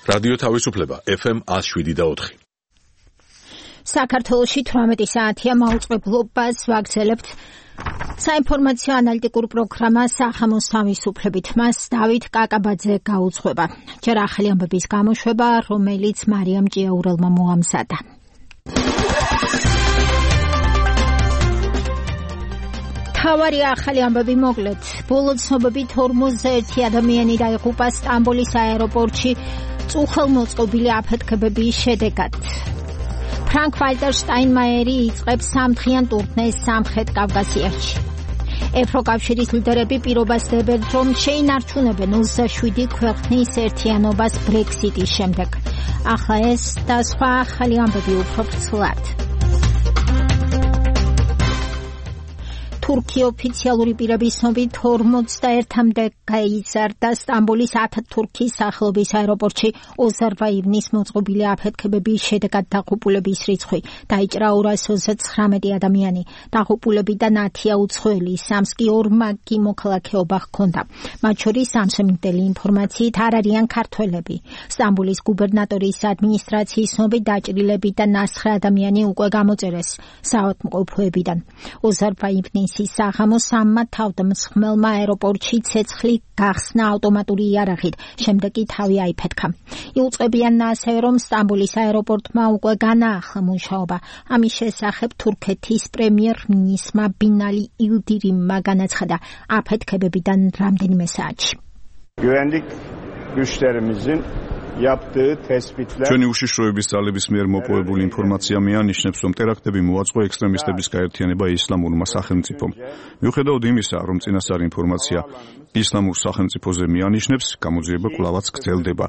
რადიო თავისუფლება FM 107.4. საქართველოში 18 საათია მაუწყებლობას ვაგრძელებთ საინფორმაციო ანალიტიკურ პროგრამა სახამოს თავისუფლებით. მას დავით კაკაბაძე გაუძღვება. ჯერ ახალი ამბების გამოშვება, რომელიც მარიამ ჭიაურელმა მოამზადა. თავარი ახალი ამბები მოკლედ. ბოლო ცნობებით 41 ადამიანი დაიღუპა სტამბოლის აეროპორტში წუხელმოწყობილი აფეთქებების შედეგად. ფრანკ-ვალტერ შტაინმაიერი იწყებს სამდღიან ტურნეს სამხრეთ კავკასიაში. ევროკავშირის ლიდერები პირობას დებენ, რომ შეინარჩუნებენ 27 ქვეყნის ერთიანობას ბრექსიტის შემდეგ. ახლა ეს და სხვა ახალი ამბები უფრო ვრცლად. თურქია ოფიციალური პირების ცნობით 41-მდე გაიზარდა სტამბოლის ათათურქის სახელობის აეროპორტში ოზარბაივნის მოწყობილი აფეთქებების შედეგად დაღუპულების რიცხვი დაიჭრა 239 ადამიანი. დაღუპულებიდან 10-ია უცხოელი, 3-ს კი ორმაგი მოქალაქეობა ჰქონდა. მათ შორის ამსამინდელი ინფორმაციით არ არიან ქართველები. სტამბოლის გუბერნატორის ადმინისტრაციის ცნობით დაჭრილებიდან 9 ადამიანი უკვე გამოწერეს საავადმყოფოებიდან. ოზარბაივნის საღამოს 3 თავდამსხმელმა აეროპორტში ცეცხლი გახსნა ავტომატური იარაღით, შემდეგ კი თავი აიფეთქა. იუწყებიან ასევე, რომ სტამბოლის აეროპორტმა უკვე განაახლა მუშაობა. ამის შესახებ თურქეთის პრემიერ-მინისტრმა ბინალი ილდირიმმა განაცხადა აფეთქებებიდან რამდენიმე საათში. Güvenlik güçlerimizin yaptığı tespitler ჩვენი უშიშროების ძალების მიერ მოპოვებული ინფორმაცია მიანიშნებს, რომ ტერაქტები მოაწყო ექსტრემისტების გაერთიანება ისლამურმა სახელმწიფომ. მიუხედავად იმისა, რომ წინასწარი ინფორმაცია ისლამურ სახელმწიფოზე მიანიშნებს, გამოძიება კვლავაც გრძელდება.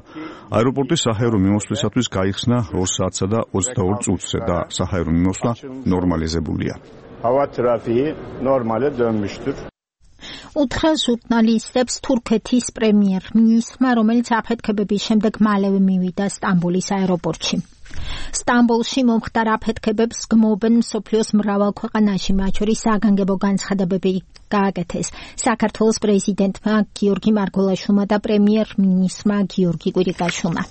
აეროპორტის საჰაერო მიმოსვლისათვის გაიხსნა 2 საათსა და 22 წუთზე და საჰაერო მიმოსვლა ნორმალიზებულია. hava trafiği normale dönmüştür. უთხრა ჟურნალისტებს თურქეთის პრემიერ-მინისტრმა, რომელიც აფეთქებების შემდეგ მალევე მივიდა სტამბოლის აეროპორტში. სტამბოლში მომხდარ აფეთქებებს გმობენ მსოფლიოს მრავალ ქვეყანაში, მათ შორის საგანგებო განცხადებები გააკეთეს საქართველოს პრეზიდენტმა გიორგი მარგველაშვილმა და პრემიერ-მინისტრმა გიორგი კვირიკაშვილმა.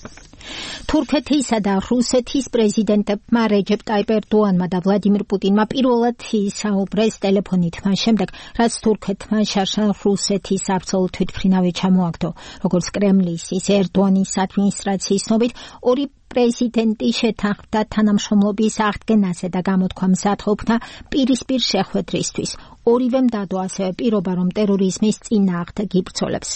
თურქეთისა და რუსეთის პრეზიდენტებმა რეჯეპ ტაიპ ერდოანმა და ვლადიმირ პუტინმა პირველად ისაუბრეს ტელეფონით, მას შემდეგ, რაც თურქეთმა შარშან რუსეთის აბსოლუტ თვითმფრინავი ჩამოაგდო. როგორც კრემლის, ის ერდოანის ადმინისტრაციის ცნობით, ორი პრეზიდენტი შეთანხმდა თანამშრომლობის აღდგენაზე და გამოთქვა მზადყოფნა პირისპირ შეხვედრისთვის. ორივემ დადო ასევე პირობა, რომ ტერორიზმის წინააღმდეგ იბრძოლებს.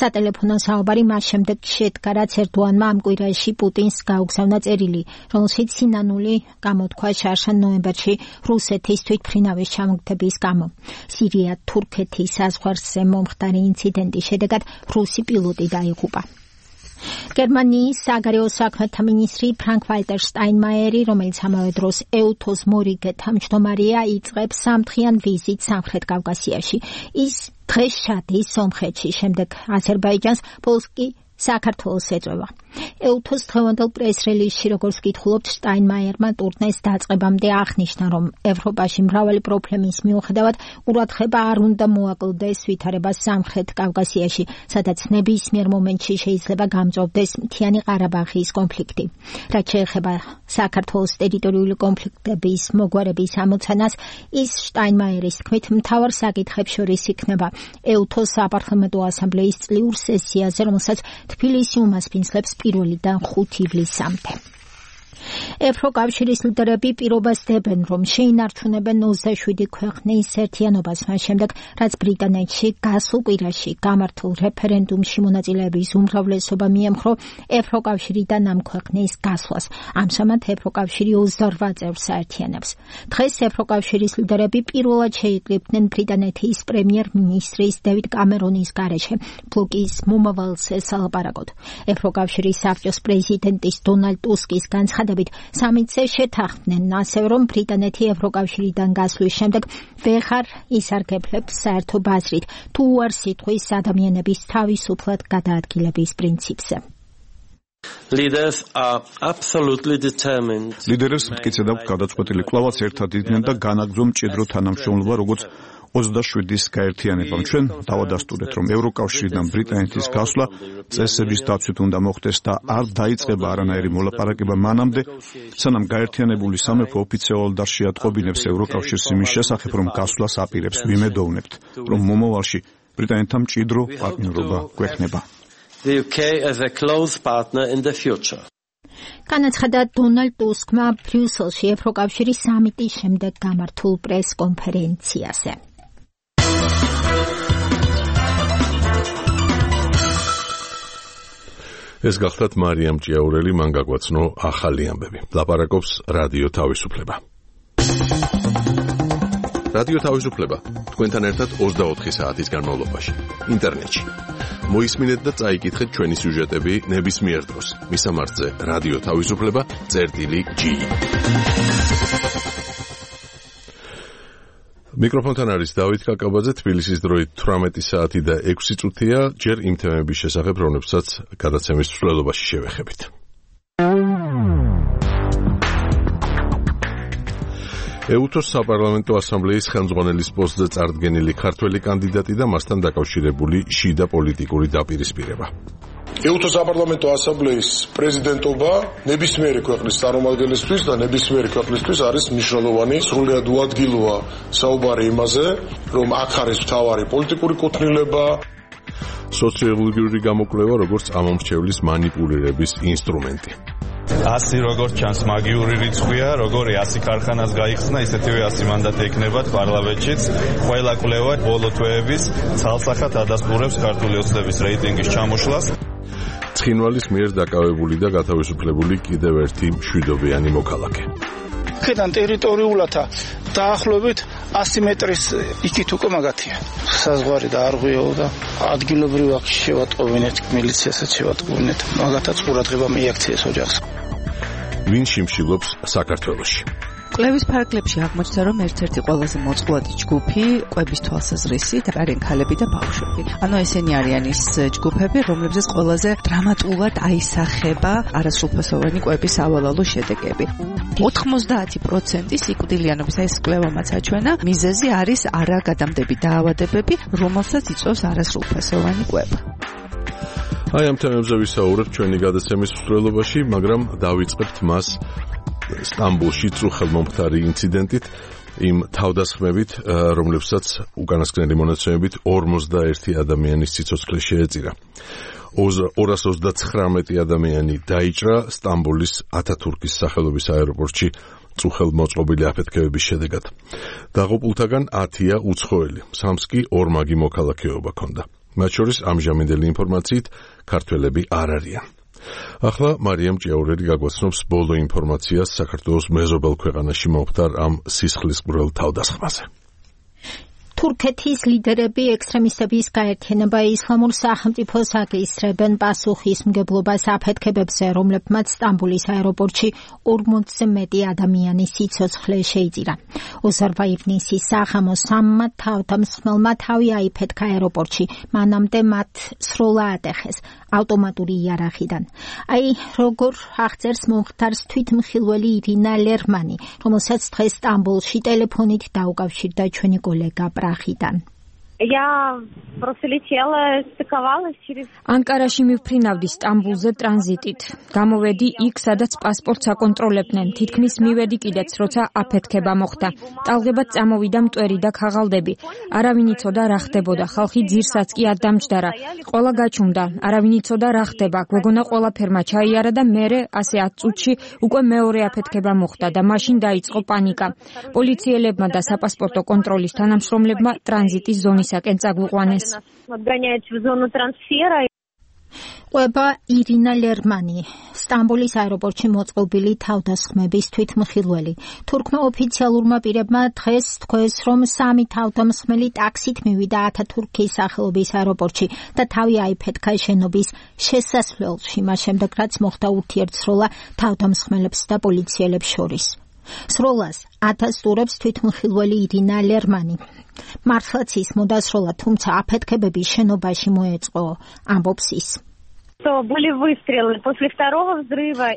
სატელეფონო საუბარი მას შემდეგ შედგა, რაც ერდოანმა ამ კვირაში პუტინს გაუგზავნა წერილი, რომელშიც სინანული გამოთქვა შარშან ნოემბერში რუსეთის თვითმფრინავის ჩამოგდების გამო. სირია-თურქეთის საზღვარზე მომხდარი ინციდენტის შედეგად რუსი პილოტი დაიღუპა. გერმანიის საგარეო საქმეთა მინისტრი ფრანკ-ვალტერ შტაინმაიერი, რომელიც ამავე დროს ეუთოს მორიგე თავმჯდომარეა, იწყებს სამდღიან ვიზიტს სამხრეთ კავკასიაში. ის დღეს ჩადის სომხეთში, შემდეგ აზერბაიჯანს, ბოლოს კი საქართველოს ეწევა. ეუთოს დღევანდელ პრეს-რელიზში, როგორც ვკითხულობთ, შტაინმაიერმა ტურნეს დაწყებამდე აღნიშნა, რომ ევროპაში მრავალი პრობლემის მიუხედავად ყურადღება არ უნდა მოაკლდეს ვითარებას სამხრეთ კავკასიაში, სადაც ნებისმიერ მომენტში შეიძლება გამწვავდეს მთიანი ყარაბაღის კონფლიქტი. რაც შეეხება საქართველოს ტერიტორიული კონფლიქტების მოგვარების ამოცანას, ის შტაინმაიერის თქმით მთავარ საკითხებს შორის იქნება ეუთოს საპარლამენტო ასამბლეის წლიურ სესიაზე, რომელსაც თბილისი უმასპინძლებს 1-დან 5 ივლისამდე. ევროკავშირის ლიდერები პირობას დებენ, რომ შეინარჩუნებენ 27 ქვეყნის ერთიანობას მას შემდეგ, რაც ბრიტანეთში გასულ კვირაში გამართულ რეფერენდუმში მონაწილეების უმრავლესობა მიემხრო ევროკავშირიდან ამ ქვეყნის გასვლას. ამჟამად ევროკავშირი 28 წევრს აერთიანებს. დღეს ევროკავშირის ლიდერები პირველად შეიკრიბნენ ბრიტანეთის პრემიერ-მინისტრის დევიდ კამერონის გარეშე ბლოკის მომავალზე სალაპარაკოდ. ევროკავშირის საბჭოს პრეზიდენტის დონალდ ტუსკის განცხადებით სამიტზე შეთანხმდნენ ასევე, რომ ბრიტანეთი ევროკავშირიდან გასვლის შემდეგ ვეღარ ისარგებლებს საერთო ბაზრით თუ უარს ითქვის ადამიანების თავისუფლად გადაადგილების პრინციპზე. ლიდერებს მტკიცედ აქვს გადაწყვეტილი კვლავაც ერთად იდგნენ და განაგრძო მჭიდრო თანამშრომლობა, როგორც 27-ის გაერთიანებამ. ჩვენ დავადასტურეთ, რომ ევროკავშირიდან ბრიტანეთის გასვლა წესების დაცვით უნდა მოხდეს და არ დაიწყება არანაირი მოლაპარაკება მანამდე, სანამ გაერთიანებული სამეფო ოფიციალურად არ შეატყობინებს ევროკავშირს იმის შესახებ, რომ გასვლას აპირებს. ვიმედოვნებთ, რომ მომავალში ბრიტანეთთან მჭიდრო პარტნიორობა გვექნება. The UK as a close partner in the future. განაცხადა დონალდ ტუსკმა ბრიუსელში ევროკავშირის სამიტის შემდეგ გამართულ პრეს-კონფერენციაზე. ეს გახლდათ მარიამ ჭიაურელი, მან გაგვაცნო ახალი ამბები. ლაპარაკობს რადიო თავისუფლება. რადიო თავისუფლება თქვენთან ერთად 24 საათის განმავლობაში ინტერნეტში. მოისმინეთ და წაიკითხეთ ჩვენი სიუჟეტები ნებისმიერ დროს. მისამართზე რადიო თავისუფლება.gi. მიკროფონთან არის დავით კაკაბაძე. თბილისის დროით 18 საათი და 6 წუთია. ჯერ იმ თემების შესახებ, რომლებსაც გადაცემის მსვლელობაში შევეხებით. ეუთოს საპარლამენტო ასამბლეის ხელმძღვანელის პოსტზე წარდგენილი ქართველი კანდიდატი და მასთან დაკავშირებული შიდა პოლიტიკური დაპირისპირება. ეუთოს საპარლამენტო ასამბლეის პრეზიდენტობა ნებისმიერი ქვეყნის წარმომადგენლისთვის და ნებისმიერი ქვეყნისთვის არის მნიშვნელოვანი. სრულიად უადგილოა საუბარი იმაზე, რომ აქ არის მთავარი პოლიტიკური კუთვნილება. სოციოლოგიური გამოკვლევა, როგორც ამომრჩევლის მანიპულირების ინსტრუმენტი. 100 როგორც ჩანს მაგიური რიცხვია, როგორი 100 ქარხანას გაიხსნა, ისეთივე 100 მანდატი ექნებათ პარლამენტშიც. ყველა კვლევა ბოლო თვეების ცალსახად ადასტურებს ქართული ოცნების რეიტინგის ჩამოშლას. ცხინვალის მიერ დაკავებული და გათავისუფლებული კიდევ ერთი მშვიდობიანი მოქალაქე. აქედან ტერიტორიულათა დაახლოებით 100 მეტრის იქით უკვე მაგათია. საზღვარი და არღვიო და ადგილობრივ აქ შევატყობინეთ, მილიციაში შევატყობინეთ. მაგათაც ყურადღება მიაქციეს ოჯახს. ვინ შიმშილობს საქართველოში? კვლევის ფარგლებში აღმოჩნდა, რომ ერთ-ერთი ყველაზე მოწყვლადი ჯგუფი კვების თვალსაზრისით არიან ქალები და ბავშვები. ანუ ესენი არიან ის ჯგუფები, რომლებზეც ყველაზე დრამატულად აისახება არასრულფასოვანი კვების სავალალო შედეგები. 90% სიკვდილიანობის, ეს კვლევა მას აჩვენა, მიზეზი არის არაგადამდები დაავადებები, რომელსაც იწვევს არასრულფასოვანი კვება. აი ამ თემებზე ვისაუბრებთ ჩვენი გადაცემის მსვლელობაში, მაგრამ დავიწყებთ მას სტამბოლში წუხელმომხდარი ინციდენტით, იმ თავდასხმებით, რომლებსაც უკანასკნელი მონაცემებით 51 ადამიანის სიცოცხლე შეეწირა. 239 ადამიანი დაიჭრა სტამბოლის ათათურქის სახელობის აეროპორტში წუხელმოწყობილი აფეთქებების შედეგად. დაღუპულთაგან 10-ია უცხოელი, 3-ს კი ორმაგი მოქალაქეობა ჰქონდა. მათ შორის ამჟამინდელი ინფორმაციით ქართველები არ არიან. ახლა მარიამ ჭიაურელი გაგვაცნობს ბოლო ინფორმაციას საქართველოს მეზობელ ქვეყანაში მომხდარ ამ სისხლისმღვრელ თავდასხმაზე. თურქეთის ლიდერები ექსტრემისტების გაერთიანება ისლამურ სახელმწიფოს აკისრებენ პასუხისმგებლობას აფეთქებებზე, რომლებმაც სტამბოლის აეროპორტში 40-ზე მეტი ადამიანის სიცოცხლე შეიწირა. 22 ივნისის საღამოს 3 თავდამსხმელმა თავი აიფეთქა აეროპორტში, მანამდე მათ სროლა ატეხეს ავტომატური იარაღიდან. აი, როგორ აღწერს მომხდარს თვითმხილველი ირინა ლერმანი, რომელსაც დღეს სტამბოლში ტელეფონით დაუკავშირდა ჩვენი კოლეგა პრახიდან. ანკარაში მივფრინავდი სტამბულზე ტრანზიტით. გამოვედი იქ, სადაც პასპორტს აკონტროლებდნენ. თითქმის მივედი კიდეც, როცა აფეთქება მოხდა. ტალღებად წამოვიდა მტვერი და ქაღალდები. არავინ იცოდა რა ხდებოდა. ხალხი ძირსაც კი არ დამჯდარა. ყველა გაჩუმდა. არავინ იცოდა რა ხდება. გვეგონა ყველაფერმა ჩაიარა და მერე ასე 10 წუთში უკვე მეორე აფეთქება მოხდა და მაშინ დაიწყო პანიკა. პოლიციელებმა და საპასპორტო კონტროლის თანამშრომლებმა ტრანზიტის ზონისაკენ წაგვიყვანეს. ყვება ირინა ლერმანი, სტამბოლის აეროპორტში მოწყობილი თავდასხმების თვითმხილველი. თურქმა ოფიციალურმა პირებმა დღეს თქვეს, რომ 3 თავდამსხმელი ტაქსით მივიდა ათათურქის სახელობის აეროპორტში და თავი აიფეთქა შენობის შესასვლელში, მას შემდეგ რაც მოხდა ურთიერთსროლა თავდამსხმელებს და პოლიციელებს შორის. სროლას ათასტურებს თვითმხილველი ირინა ლერმანი. მართლაც ის მოდასროლა, თუმცა აფეთქებები შენობაში მოეწყო, ამბობს ის.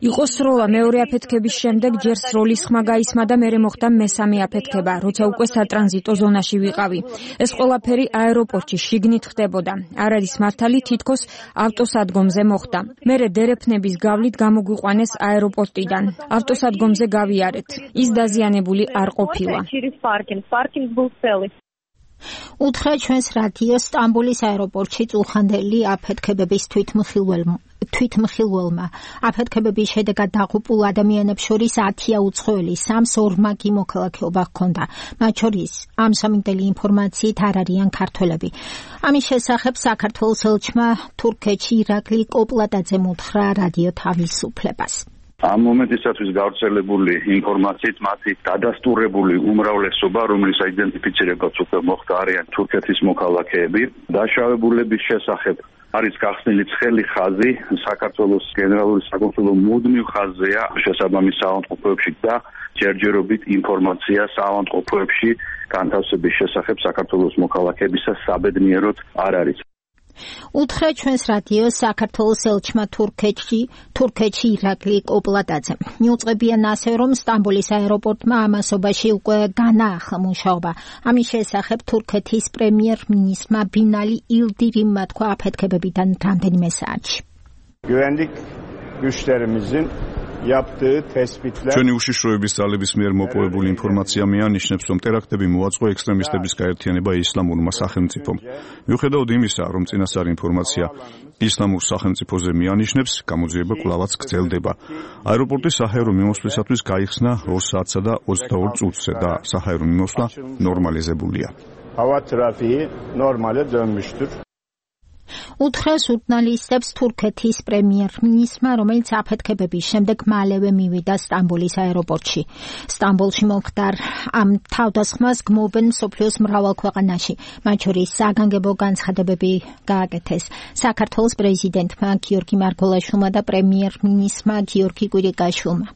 იყო სროლა მეორე აფეთქების შემდეგ ჯერ სროლის ხმა გაისმა და მერე მოხდა მესამე აფეთქება, როცა უკვე სატრანზიტო ზონაში ვიყავი. ეს ყველაფერი აეროპორტში შიგნით ხდებოდა. არ არის მართალი, თითქოს ავტოსადგომზე მოხდა. მერე დერეფნების გავლით გამოგვიყვანეს აეროპორტიდან. ავტოსადგომზე გავიარეთ. ის დაზიანებული არ ყოფილა. უთხრა ჩვენს რადიოს სტამბოლის აეროპორტში წუხანდელი აფეთქებების თვითმხილველმა. აფეთქებების შედეგად დაღუპულ ადამიანებს შორის 10-ია უცხოელი, 3-ს ორმაგი მოქალაქეობა ჰქონდა. მათ შორის ამ სამინდელი ინფორმაციით არ არიან ქართველები. ამის შესახებ საქართველოს ელჩმა თურქეთში ირაკლი კოპლატაძემ უთხრა რადიო თავისუფლებას. ამ მომენტისათვის გავრცელებული ინფორმაციით მათი დადასტურებული უმრავლესობა, რომლის აიდენტიფიცირებაც უკვე მოხდა, არიან თურქეთის მოქალაქეები. დაშავებულების შესახებ არის გახსნილი ცხელი ხაზი, საქართველოს გენერალური საკონსულო მუდმივ ხაზზეა შესაბამის საავადმყოფოებში და ჯერჯერობით ინფორმაცია საავადმყოფოებში განთავსების შესახებ საქართველოს მოქალაქეებისა საბედნიეროდ არ არის. უთხრა ჩვენს რადიოს საქართველოს ელჩმა თურქეთში ირაკლი კოპლატაძემ. მიუწყებიან ასევე, რომ სტამბოლის აეროპორტმა ამასობაში უკვე განაახლა მუშაობა. ამის შესახებ თურქეთის პრემიერ-მინისტრმა ბინალი ილდირიმმა თქვა აფეთქებებიდან რამდენიმე საათში. Güvenlik güçlerimizin yaptığı tespitler ჩვენი უშიშროების ძალების მიერ მოპოვებული ინფორმაცია მეანიშნებს, რომ ტერაქტები მოაწყო ექსტრემისტების გაერთიანება ისლამურმა სახელმწიფომ. მიუხედავად იმისა, რომ წინასწარი ინფორმაცია ისლამურ სახელმწიფოზე მეანიშნებს, გამოძიება კვლავაც გრძელდება. აეროპორტის საჰაერო მიმოსვლისათვის გაიხსნა 2 საათსა და 22 წუთზე და საჰაერო მიმოსვლა ნორმალიზებულია. hava trafiği normale dönmüştür. უთხრა ჟურნალისტებს თურქეთის პრემიერ-მინისტრმა, რომელიც აფეთქებების შემდეგ მალევე მივიდა სტამბოლის აეროპორტში. სტამბოლში მომხდარ ამ თავდასხმას გმობენ მსოფლიოს მრავალ ქვეყანაში, მათ შორის საგანგებო განცხადებები გააკეთეს საქართველოს პრეზიდენტმა გიორგი მარგველაშვილმა და პრემიერ-მინისტრმა გიორგი კვირიკაშვილმა.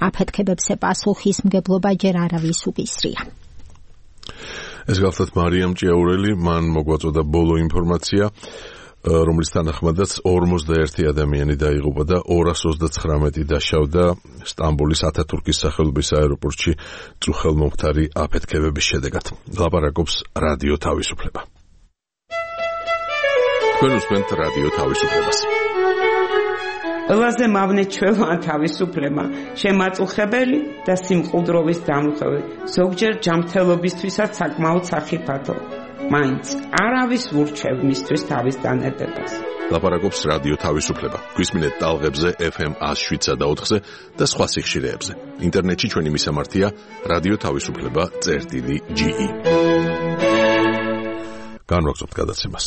აფეთქებებზე პასუხისმგებლობა ჯერ არავის უკისრია. ეს გახლდათ მარიამ ჭიაურელი, მან მოგვაწოდა ბოლო ინფორმაცია, რომლის თანახმადაც 41 ადამიანი დაიღუპა და 239 დაშავდა სტამბოლის ათათურქის სახელობის აეროპორტში წუხელმომხდარი აფეთქებების შედეგად. ლაპარაკობს რადიო თავისუფლება. თქვენ უსმენთ რადიო თავისუფლებას. ყველაზე მავნეჩველოვან თავისუფლება, შემაწუხებელი და სიმყუდროვის დამხევი, ზოგჯერ ჯანმრთელობისთვისაც საკმაოდ სახიფათო. მაინც არავის ურჩევ მისთვის თავის დანებებას. ლაპარაკობს რადიო თავისუფლება. გვისმინეთ ტალღებზე FM 107.4-ზე და სხვა სიხშირეებზე. ინტერნეტში ჩვენი მისამართია რადიო თავისუფლება.ge. განვაგრძობთ გადაცემას.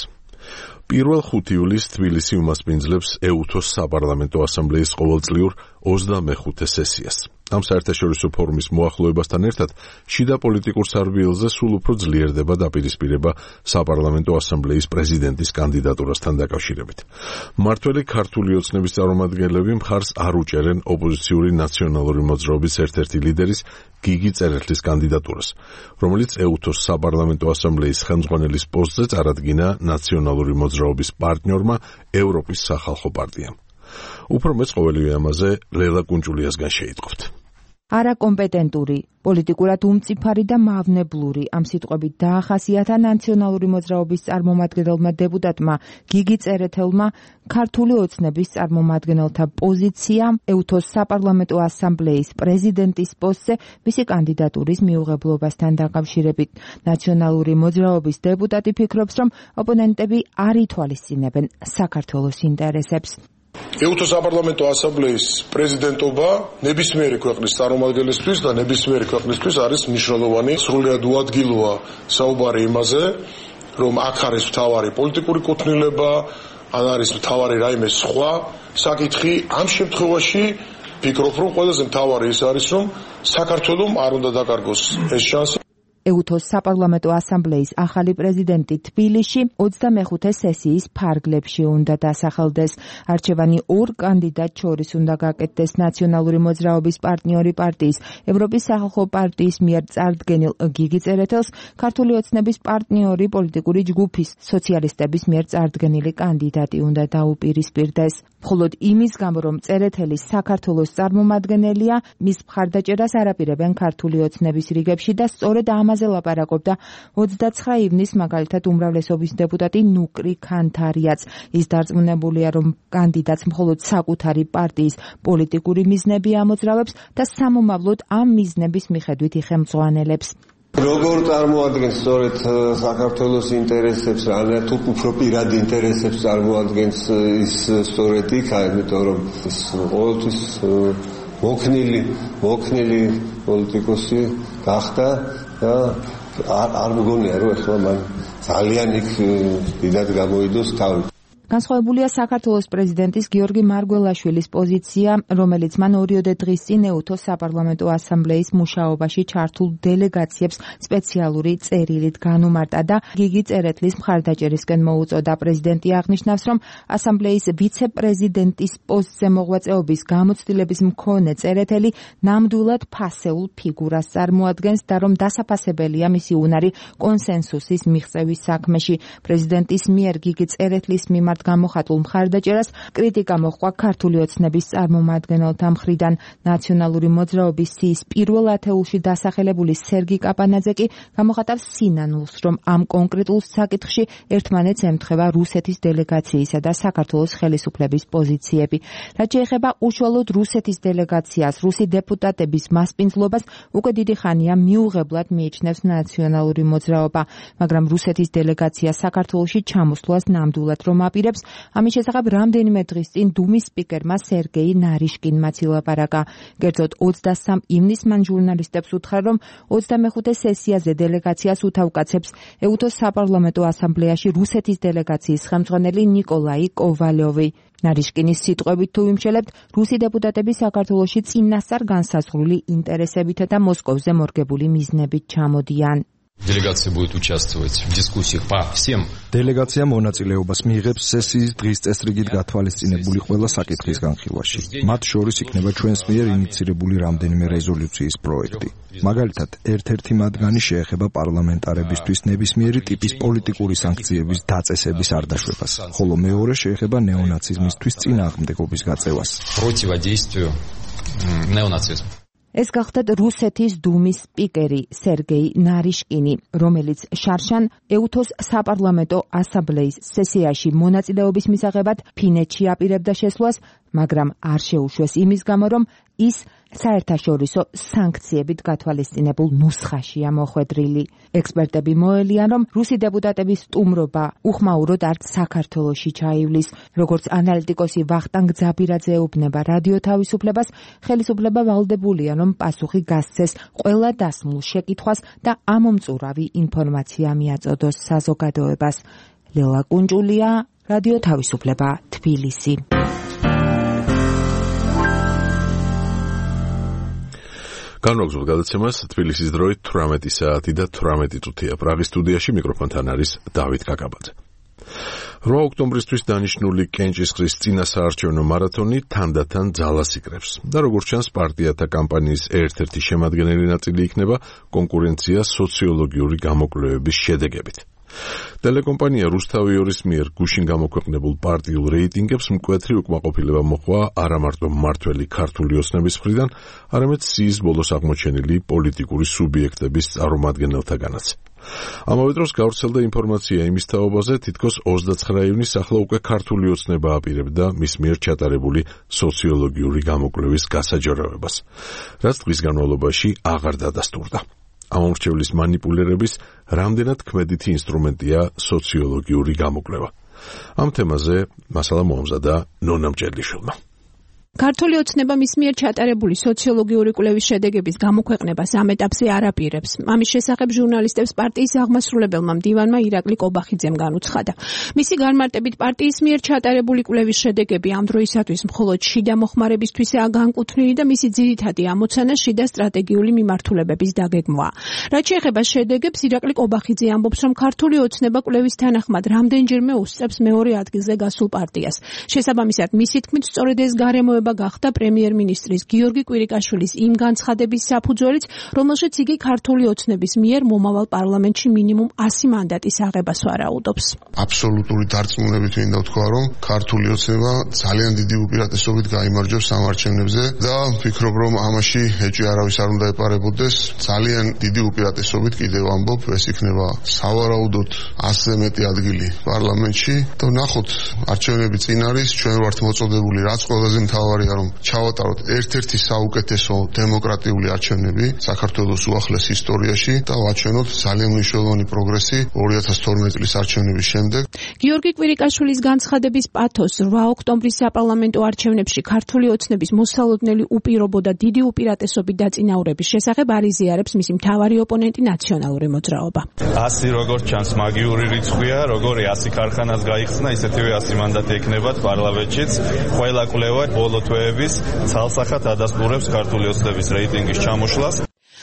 1 იulis თბილისი უმასპინძლებს EUTHO-ს საპარლამენტო ასამბლეის ყოველწლიურ 25 სესიას. ამ საერთაშორისო ფორუმის მოახლოებასთან ერთად შიდა პოლიტიკურ სარბიელზე სულ უფრო ძლიერდება დაპირისპირება საპარლამენტო ასამბლეის პრეზიდენტის კანდიდატურასთან დაკავშირებით. მმართველი ქართული ოცნების წარმომადგენლები მხარს არ უჭერენ ოპოზიციური ნაციონალური მოძრაობის ერთ-ერთი ლიდერის გიგი წერეთლის კანდიდატურას, რომელიც EUTHO-ს საპარლამენტო ასამბლეის ხელმძღვანელის პოსტზე წარადგინა ნაციონალური მოძრაობის პარტნიორმა ევროპის სახალხო პარტიამ. უფრო მეც ყოველივე ამაზე ლელა კუნჭულიასგან შეიტყობთ. არაკომპეტენტური, პოლიტიკურად უმწიფარი და მავნებლური ამ სიტყვებით დაახასიათა ნაციონალური მოძრაობის წარმომადგენელმა დეპუტატმა გიგი წერეთელმა ქართული ოცნების წარმომადგენელთა პოზიცია EUTHO-ს საპარლამენტო ასამბლეის პრეზიდენტის პოსტზე მისი კანდიდატურის მიუღებლობასთან დაკავშირებით. ნაციონალური მოძრაობის დეპუტატი ფიქრობს, რომ ოპონენტები არ ითვალისწინებენ საქართველოს ინტერესებს. EUTHO-ს საპარლამენტო ასამბლეის პრეზიდენტობა ნებისმიერი ქვეყნის წარმომადგენლისთვის და ნებისმიერი ქვეყნისთვის არის მნიშვნელოვანი. სრულიად უადგილოა საუბარი იმაზე, რომ აქ არის მთავარი პოლიტიკური კუთვნილება, ან არის მთავარი რაიმე სხვა საკითხი. ამ შემთხვევაში ფიქრობ, რომ ყველაზე მთავარი ის არის, რომ საქართველოს არ უნდა დაკარგოს ეს შანსი. EUTHO-ს საპარლამენტო ასამბლეის ახალი პრეზიდენტი თბილისში 25 სესიის ფარგლებში უნდა დასახელდეს. არჩევანი 2 კანდიდატ შორის უნდა გაკეთდეს ნაციონალური მოძრაობის პარტნიორი პარტიის, ევროპის სახალხო პარტიის მიერ წარდგენილ გიგი წერეთელს, ქართული ოცნების პარტნიორი პოლიტიკური ჯგუფის, სოციალისტების მიერ წარდგენილი კანდიდატი უნდა დაუპირისპირდეს. მხოლოდ იმის გამო, რომ წერეთელი საქართველოს წარმომადგენელია, მის მხარდაჭერას არაპირებენ ქართული ოცნების რიგებში და სწორედ ამაზე ლაპარაკობდა 29 ივნისს მაგალითად უმრავლესობის დეპუტატი ნუკრი ქანთარიაც. ის დარწმუნებულია, რომ კანდიდატს მხოლოდ საკუთარი პარტიის პოლიტიკური მიზნები ამოძრავებს და სამომავლოდ ამ მიზნების მიხედვით იხელმძღვანელებს. როგორ წარმოადგენს სწორედ საქართველოს ინტერესებს, ან თუ უფრო პირად ინტერესებს წარმოადგენს ის სწორედ იქ, იმიტომ რომ ის ყოველთვის მოქნილი პოლიტიკოსი გახდა და არ მგონია რომ ეხლა მან ძალიან იქ დიდად გამოიდოს თავი. განსხვავებულია საქართველოს პრეზიდენტის გიორგი მარგველაშვილის პოზიცია, რომელიც მან 2 დღის წინ ეუთოს საპარლამენტო ასამბლეის მუშაობაში ჩართულ დელეგაციებს სპეციალური წერილით განუმარტა და გიგი წერეთლის მხარდაჭერისკენ მოუწოდა. პრეზიდენტი აღნიშნავს, რომ ასამბლეის ვიცე-პრეზიდენტის პოსტზე მოღვაწეობის გამოცდილების მქონე წერეთელი ნამდვილად ფასეულ ფიგურას წარმოადგენს და რომ დასაფასებელია მისი უნარი კონსენსუსის მიღწევის საქმეში. პრეზიდენტის მიერ გიგი წერეთლის მიმართ გამოხატულ მხარდაჭერას კრიტიკა მოჰყვა ქართული ოცნების წარმომადგენელთა მხრიდან. ნაციონალური მოძრაობის სიის პირველ ათეულში დასახელებული სერგი კაპანაძე კი გამოხატავს სინანულს, რომ ამ კონკრეტულ საკითხში ერთმანეთს ემთხვევა რუსეთის დელეგაციისა და საქართველოს ხელისუფლების პოზიციები. რაც შეეხება უშუალოდ რუსეთის დელეგაციას, რუსი დეპუტატების მასპინძლობას უკვე დიდი ხანია მიუღებლად მიიჩნევს ნაციონალური მოძრაობა, მაგრამ რუსეთის დელეგაცია საქართველოში ჩამოსვლას ნამდვილად რომ აპირებს. ამის შესახებ რამდენიმე დღის წინ დუმის სპიკერმა სერგეი ნარიშკინმაც ილაპარაკა. კერძოდ 23 ივნისს მან ჟურნალისტებს უთხრა, რომ 25 სესიაზე დელეგაციას უთავკაცებს ეუთოს საპარლამენტო ასამბლეაში რუსეთის დელეგაციის ხელმძღვანელი ნიკოლაი კოვალიოვი. ნარიშკინის სიტყვებით თუ ვიმშელებთ, რუსი დეპუტატები საქართველოში წინასწარ განსაზღვრული ინტერესებით და მოსკოვზე მორგებული მიზნებით ჩამოდიან. Делегация будет участвовать в дискуссиях по всем. Делегация მონაწილეობას მიიღებს სესიის დღის წესრიგით გათვალისწინებული ყველა საკითხის განხილვაში. მათ შორის იქნება ჩვენს მიერ ინიცირებული რამდენიმე რეზოლუციის პროექტი. მაგალითად, ერთ-ერთი მათგანი შეეხება პარლამენტარებისთვის ნებისმიერი ტიპის პოლიტიკური სანქციების დაწესების არ დაშვებას, ხოლო მეორე შეეხება ნეონაციზმისთვის წინააღმდეგობის გაწევას. Противодействию неонацизму. ეს გახდათ რუსეთის დუმის სპიკერი სერგეი ნარიშკინი, რომელიც შარშან ეუთოს საპარლამენტო ასამბლეის სესიაში მონაწილეობის მისაღებად ფინეთში აპირებდა შესვლას, მაგრამ არ შეუშვეს იმის გამო, რომ ის საერთაშორისო სანქციებით გათვალისწინებულ ნუსხაშია მოხვედრილი. ექსპერტები მოელიან, რომ რუსი დეპუტატების სტუმრობა უხმაუროდ არც საქართველოში ჩაივლის. როგორც ანალიტიკოსი ვახტანგ ძაბირაძე ეუბნება რადიო თავისუფლებას, ხელისუფლება ვალდებულია, რომ პასუხი გასცეს ყველა დასმულ შეკითხვას და ამომწურავი ინფორმაცია მიაწოდოს საზოგადოებას. ლელა კუნჭულია, რადიო თავისუფლება, თბილისი. განვაგრძობ გადაცემას თბილისის დროით 18 საათი და 18 წუთია. პრაღის სტუდიაში მიკროფონთან არის დავით კაკაბაძე. 8 ოქტომბრისთვის დანიშნული კენჭისყრის წინასაარჩევნო მარათონი თანდათან ძალას იკრებს და როგორც ჩანს პარტიათა კამპანიის ერთ-ერთი შემადგენელი ნაწილი იქნება კონკურენცია სოციოლოგიური გამოკვლევების შედეგებით. ტელეკომპანია რუსთავიორის მიერ გუშინ გამოქვეყნებულ პარტიულ რეიტინგებს მკვეთრი უკმაყოფილება მოჰყვა არა მარტო მმართველი ქართული ოცნების მხრიდან, არამედ სიის ბოლოს აღმოჩენილი პოლიტიკური სუბიექტების წარმომადგენელთაგანაც. ამავე დროს გავრცელდა ინფორმაცია იმის თაობაზე, თითქოს 29 ივნისს ახლა უკვე ქართული ოცნება აპირებდა მის მიერ ჩატარებული სოციოლოგიური გამოკვლევის გასაჯაროებას, რაც დღის განმავლობაში აღარ დადასტურდა. ამომრჩევლის მანიპულირების რამდენად ქმედითი ინსტრუმენტია სოციოლოგიური გამოკვლევა. ამ თემაზე მასალა მოამზადა ნონა მჭედლიშვილმა. ქართული ოცნება მის მიერ ჩატარებული სოციოლოგიური კვლევის შედეგების გამოქვეყნებას ამ ეტაპზე არ აპირებს. ამის შესახებ ჟურნალისტებს პარტიის აღმასრულებელმა მდივანმა ირაკლი კობახიძემ განუცხადა. მისი განმარტებით პარტიის მიერ ჩატარებული კვლევის შედეგები ამ დროისათვის მხოლოდ შიდა მოხმარებისთვისაა განკუთვნილი და მისი ძირითადი ამოცანა შიდა სტრატეგიული მიმართულებების დაგეგმვაა. რაც შეეხება შედეგებს, ირაკლი კობახიძე ამბობს, რომ ქართული ოცნება კვლევის თანახმად რამდენჯერმე უსწრებს მეორე ადგილზე გასულ პარტიას. შესაბამისად, მისი თქმით, სწორედ ეს გარემოება წოდება გახდა პრემიერ-მინისტრის გიორგი კვირიკაშვილის იმ განცხადების საფუძველიც, რომელშიც იგი ქართული ოცნების მიერ მომავალ პარლამენტში მინიმუმ 100 მანდატის აღებას ვარაუდობს. აბსოლუტური დარწმუნებით მინდა ვთქვა, რომ ქართული ოცნება ძალიან დიდი უპირატესობით გაიმარჯვებს ამ არჩევნებზე და ვფიქრობ, რომ ამაში ეჭვი არავის არ უნდა ეპარებოდეს. ძალიან დიდი უპირატესობით კიდევ ამბობ, ეს იქნება სავარაუდოდ 100-ზე მეტი ადგილი პარლამენტში და ნახოთ, არჩევნები წინ არის, ჩვენ ვართ მოწოდებული, რაც ყველაზე მთავარია, რომ ჩავატაროთ ერთ-ერთი საუკეთესო დემოკრატიული არჩევნები საქართველოს უახლეს ისტორიაში და ვაჩვენოთ ძალიან მნიშვნელოვანი პროგრესი 2012 წლის არჩევნების შემდეგ. გიორგი კვირიკაშვილის განცხადების პათოს 8 ოქტომბრის საპარლამენტო არჩევნებში ქართული ოცნების მოსალოდნელი უპირობო და დიდი უპირატესობით დაწინაურების შესახებ არიზიარებს მისი მთავარი ოპონენტი ნაციონალური მოძრაობა. 100 როგორც ჩანს მაგიური რიცხვია, როგორი 100 ქარხანას გაიხსნა, ისეთივე 100 მანდატი ექნებათ პარლამენტშიც. ყველა კვლევა ბოლო თვეების ცალსახად ადასტურებს ქართული ოცნების რეიტინგის ჩამოშლას.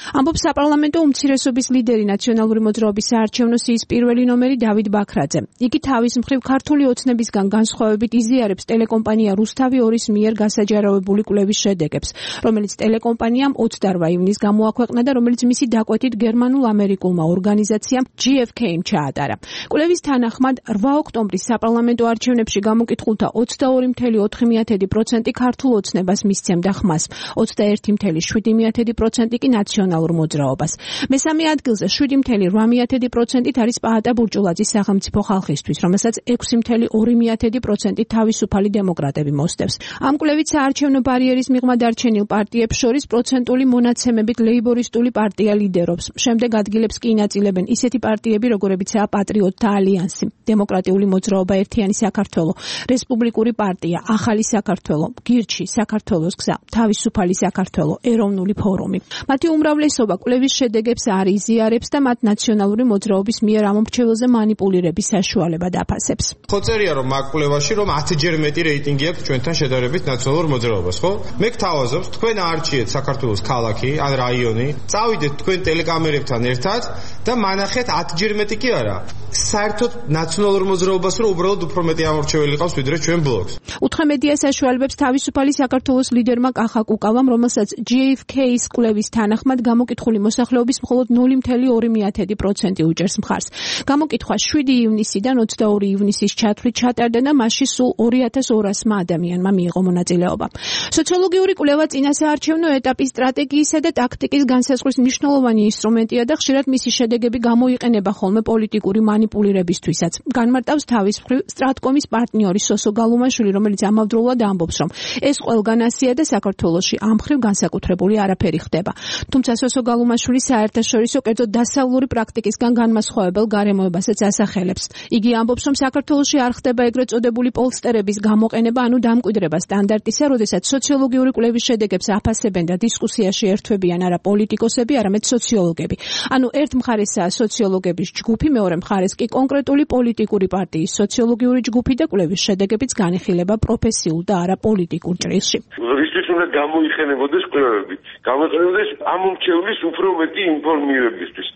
ამბობს საპარლამენტო უმცირესობის ლიდერი ნაციონალური მოძრაობის საარჩევნო სიის პირველი ნომერი დავით ბაქრაძე. იგი თავის მხრივ ქართული ოცნებისგან განსხვავებით იზიარებს ტელეკომპანია რუსთავი 2-ის მიერ გასაჯაროვებული კვლევის შედეგებს, რომელიც ტელეკომპანიამ 28 ივნისს გამოაქვეყნა და რომელიც მისი დაკვეთით გერმანულ-ამერიკულმა ორგანიზაციამ GfK-მ ჩაატარა. კვლევის თანახმად 8 ოქტომბრის საპარლამენტო არჩევნებში გამოკითხულთა 22.4% ქართულ ოცნებას მისცემდა ხმას, 21.7% კი ნაციონალურ მოძრაობას. მესამე ადგილზე 7.8% არის პაატა ბურჭულაძის სახელმწიფო ხალხისთვის, რომელსაც 6.2% თავისუფალი დემოკრატები მოსდევს. ამ კვლევით საარჩევნო ბარიერის მიღმა დარჩენილ პარტიებს შორის პროცენტული მონაცემებით ლეიბორისტული პარტია ლიდერობს. შემდეგ ადგილებს კი ინაწილებენ ისეთი პარტიები, როგორებიცაა პატრიოტთა ალიანსი, დემოკრატიული მოძრაობა ერთიანი საქართველო, რესპუბლიკური პარტია, ახალი საქართველო, გირჩი, საქართველოს გზა, თავისუფალი საქართველო, ეროვნული ფორუმი. მათი უმრავლესობა კვლევის შედეგებს არ იზიარებს და მათ ნაციონალური მოძრაობის მიერ ამ მრჩეველზე манипуლირების საშუალება დაფასებს. ხო წერია რომ მაგ კვლევაში რომ 10-ჯერ მეტი რეიტინგი აქვს ჩვენთან შედარებით ნაციონალურ მოძრაობას, ხო? მე გთავაზობთ, თქვენ არჩიეთ საქართველოს ქალაქი, ან რაიონი, წავიდეთ თქვენ ტელეკამერებთან ერთად და მანახეთ 10-ჯერ მეტი კი არა. საერთოდ ნაციონალურ მოძრაობას რომ უბრალოდ უფრო მეტი ამორჩეველი ყავს ვიდრე ჩვენ ბლოკს. უთხრა მედია საშუალებებს თავისუფალი საქართველოს ლიდერმა კახა კუკავამ, რომელსაც GfK-ის კვლევის თანახმად გამოკითხული მოსახლეობის მხოლოდ 0.2% უჭერს მხარს. გამოკითხვა 7 ივნისიდან 22 ივნისის ჩათვლით ჩატარდა და მასში სულ 2200-მა ადამიანმა მიიღო მონაწილეობა. სოციოლოგიური კვლევა წინასაარჩევნო ეტაპის სტრატეგიისა და ტაქტიკის განსაზღვრის მნიშვნელოვანი ინსტრუმენტია და ხშირად მისი შედეგები გამოიყენება ხოლმე პოლიტიკური манипуლირებისთვისაც. განმარტავს თავის მხრივ სტრატკომის პარტნიორი სოსო გალუმაშვილი, რომელიც ამავდროულად ამბობს, რომ ეს ყველგან ასია და საქართველოში ამ მხრივ განსაკუთრებული არაფერი ხდება. თუმცა სოსო გალუმაშვილი საერთაშორისო კერძო დასავლური პრაქტიკისგან განმასხვავებელ გარემოებასაც ასახელებს. იგი ამბობს, რომ საქართველოში არ ხდება ეგრეთ წოდებული პოლსტერების გამოყენება, ანუ დამკვიდრება სტანდარტისა, როდესაც სოციოლოგიური კვლევის შედეგებს აფასებენ და დისკუსიაში ერთვებიან არა პოლიტიკოსები, არამედ სოციოლოგები. ანუ ერთ მხარესაა სოციოლოგების ჯგუფი, მეორე მხარეს კი კონკრეტული პოლიტიკური პარტიის სოციოლოგიური ჯგუფი და კვლევის შედეგებიც განიხილება პროფესიულ და არა პოლიტიკურ ჭრილში. რისთვის უნდა გამოიყენებოდეს კვლევები? გამოიყენებოდეს ამომრჩევლის უფრო მეტი ინფორმირებისთვის.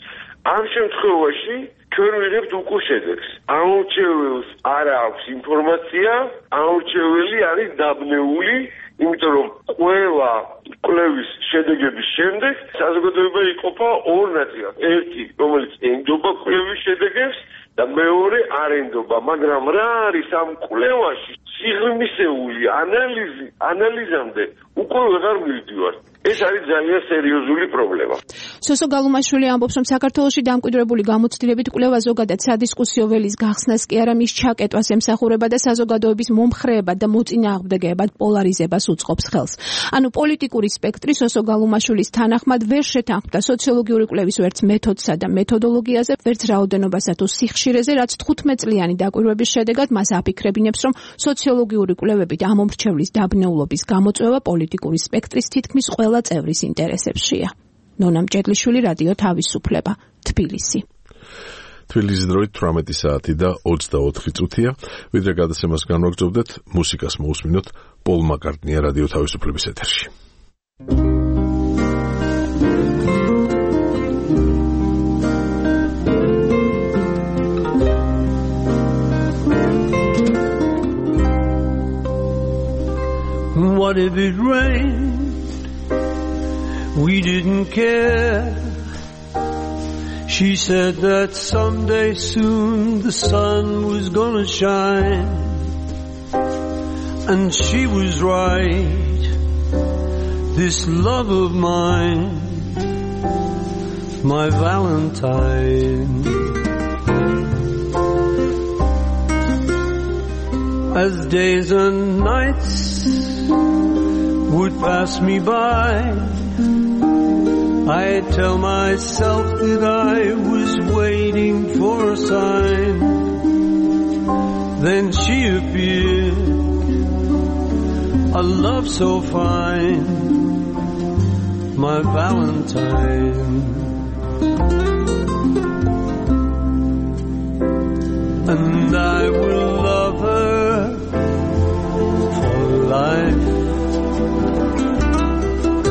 ამ შემთხვევაში ჩვენ ვიღებთ უკვე შედეგს. ამომრჩეველს არ აქვს ინფორმაცია, ამომრჩეველი არის დაბნეული, იმიტომ რომ ყველა კვლევის შედეგების შემდეგ საზოგადოება იყოფა ორ ნაწილად. ერთი, რომელიც ენდობა კვლევის შედეგებს და მეორე არ ენდობა, მაგრამ რა არის ამ კვლევაში სიღრმისეული ანალიზამდე უკვე ვეღარ მივდივარ. ეს არის ძალიან სერიოზული პრობლემა. სოსო გალუმაშვილი ამბობს, რომ საქართველოში დამკვიდრებული გამოცდილებით კვლევა ზოგადად სადისკუსიო ველის გახსნას კი არა მის ჩაკეტვას ემსახურება და საზოგადოების მომხრეებად და მოწინააღმდეგეებად პოლარიზებას უწყობს ხელს. ანუ პოლიტიკური სპექტრი სოსო გალუმაშვილის თანახმად ვერ შეთანხმდა სოციოლოგიური კვლევის ვერც მეთოდსა და მეთოდოლოგიაზე, ვერც რაოდენობასა თუ სიხშირეზე, რაც 15 წლიანი დაკვირვების შედეგად მას აფიქრებინებს, რომ სოციოლოგიური კვლევებით ამომრჩევლის დაბნეულობის გამოწვევა პოლიტიკური სპექტრის თითქმის ყველა წევრის ინტერესებშია. ნონა მჭედლიშვილი, რადიო თავისუფლება, თბილისი. თბილისის დროით 18 საათი და 24 წუთია. ვიდრე გადაცემას განვაგრძობდეთ, მუსიკას მოусმინოთ. პოლ მაკარტნია რადიო თავისუფლების ეთერში. what if it rained? We didn't care. She said that someday soon the sun was gonna shine. And she was right. This love of mine, my Valentine. As days and nights would pass me by, I tell myself that I was waiting for a sign. Then she appeared, a love so fine, my Valentine. And I will love her for life,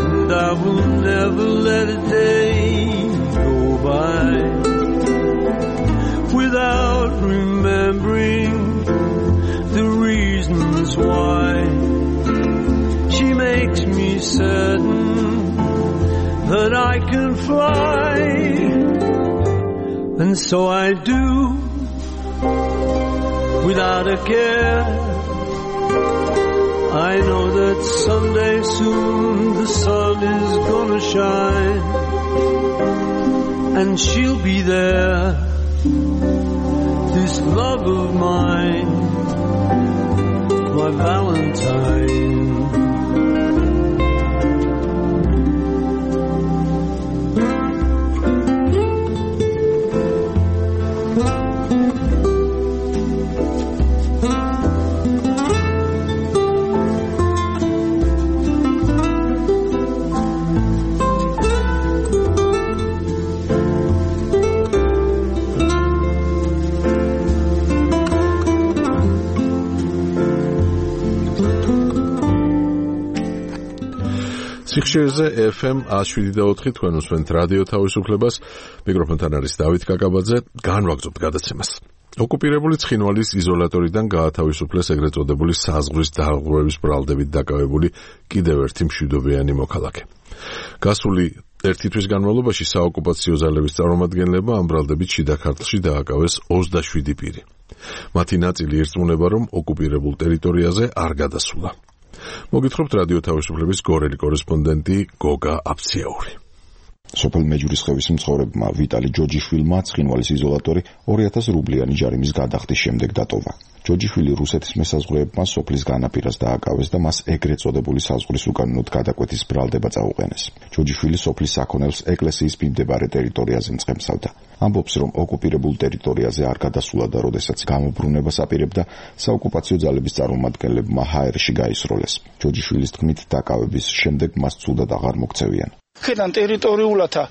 and I will never let a day go by without remembering the reasons why. She makes me certain that I can fly, and so I do, without a care. I know that someday soon the sun is gonna shine, and she'll be there, this love of mine, my Valentine. სიხშირეზე FM 107.4 თქვენ უსმენთ რადიო თავისუფლებას. მიკროფონთან არის დავით კაკაბაძე. განვაგრძობთ გადაცემას. ოკუპირებული ცხინვალის იზოლატორიდან გაათავისუფლეს ეგრეთ წოდებული საზღვრის დაღუპვების ბრალდებით დაკავებული კიდევ ერთი მშვიდობიანი მოქალაქე. გასული ერთი თვის განმავლობაში საოკუპაციო ძალების წარმომადგენლებმა ამ ბრალდებით შიდა ქართლში დააკავეს 27 პირი. მათი ნაწილი ირწმუნება, რომ ოკუპირებულ ტერიტორიაზე არ გადასულა. მოგითხრობთ რადიო თავისუფლების გორელი კორესპონდენტი გოგა აფციაური. სოფელ მეჯურისხევის მცხოვრებმა ვიტალი ჯოჯიშვილმა ცხინვალის იზოლატორი 2000 რუბლიანი ჯარიმის გადახდის შემდეგ დატოვა. ჯოჯიშვილი რუსეთის მესაზღვრეებმა სოფლის განაპირას დააკავეს და მას ეგრეთ წოდებული საზღვრის უკანონოდ გადაკვეთის ბრალდება წაუყენეს. ჯოჯიშვილი სოფლის საქონელს ეკლესიის მიმდებარე ტერიტორიაზე მწყემსავდა. ამბობს, რომ ოკუპირებულ ტერიტორიაზე არ გადასულა და როდესაც გამობრუნებას აპირებდა, საოკუპაციო ძალების წარმომადგენლებმა ჰაერში გაისროლეს. ჯოჯიშვილის თქმით, დაკავების შემდეგ მას ცუდად აღარ მოქცევიან. ქედან ტერიტორიულათა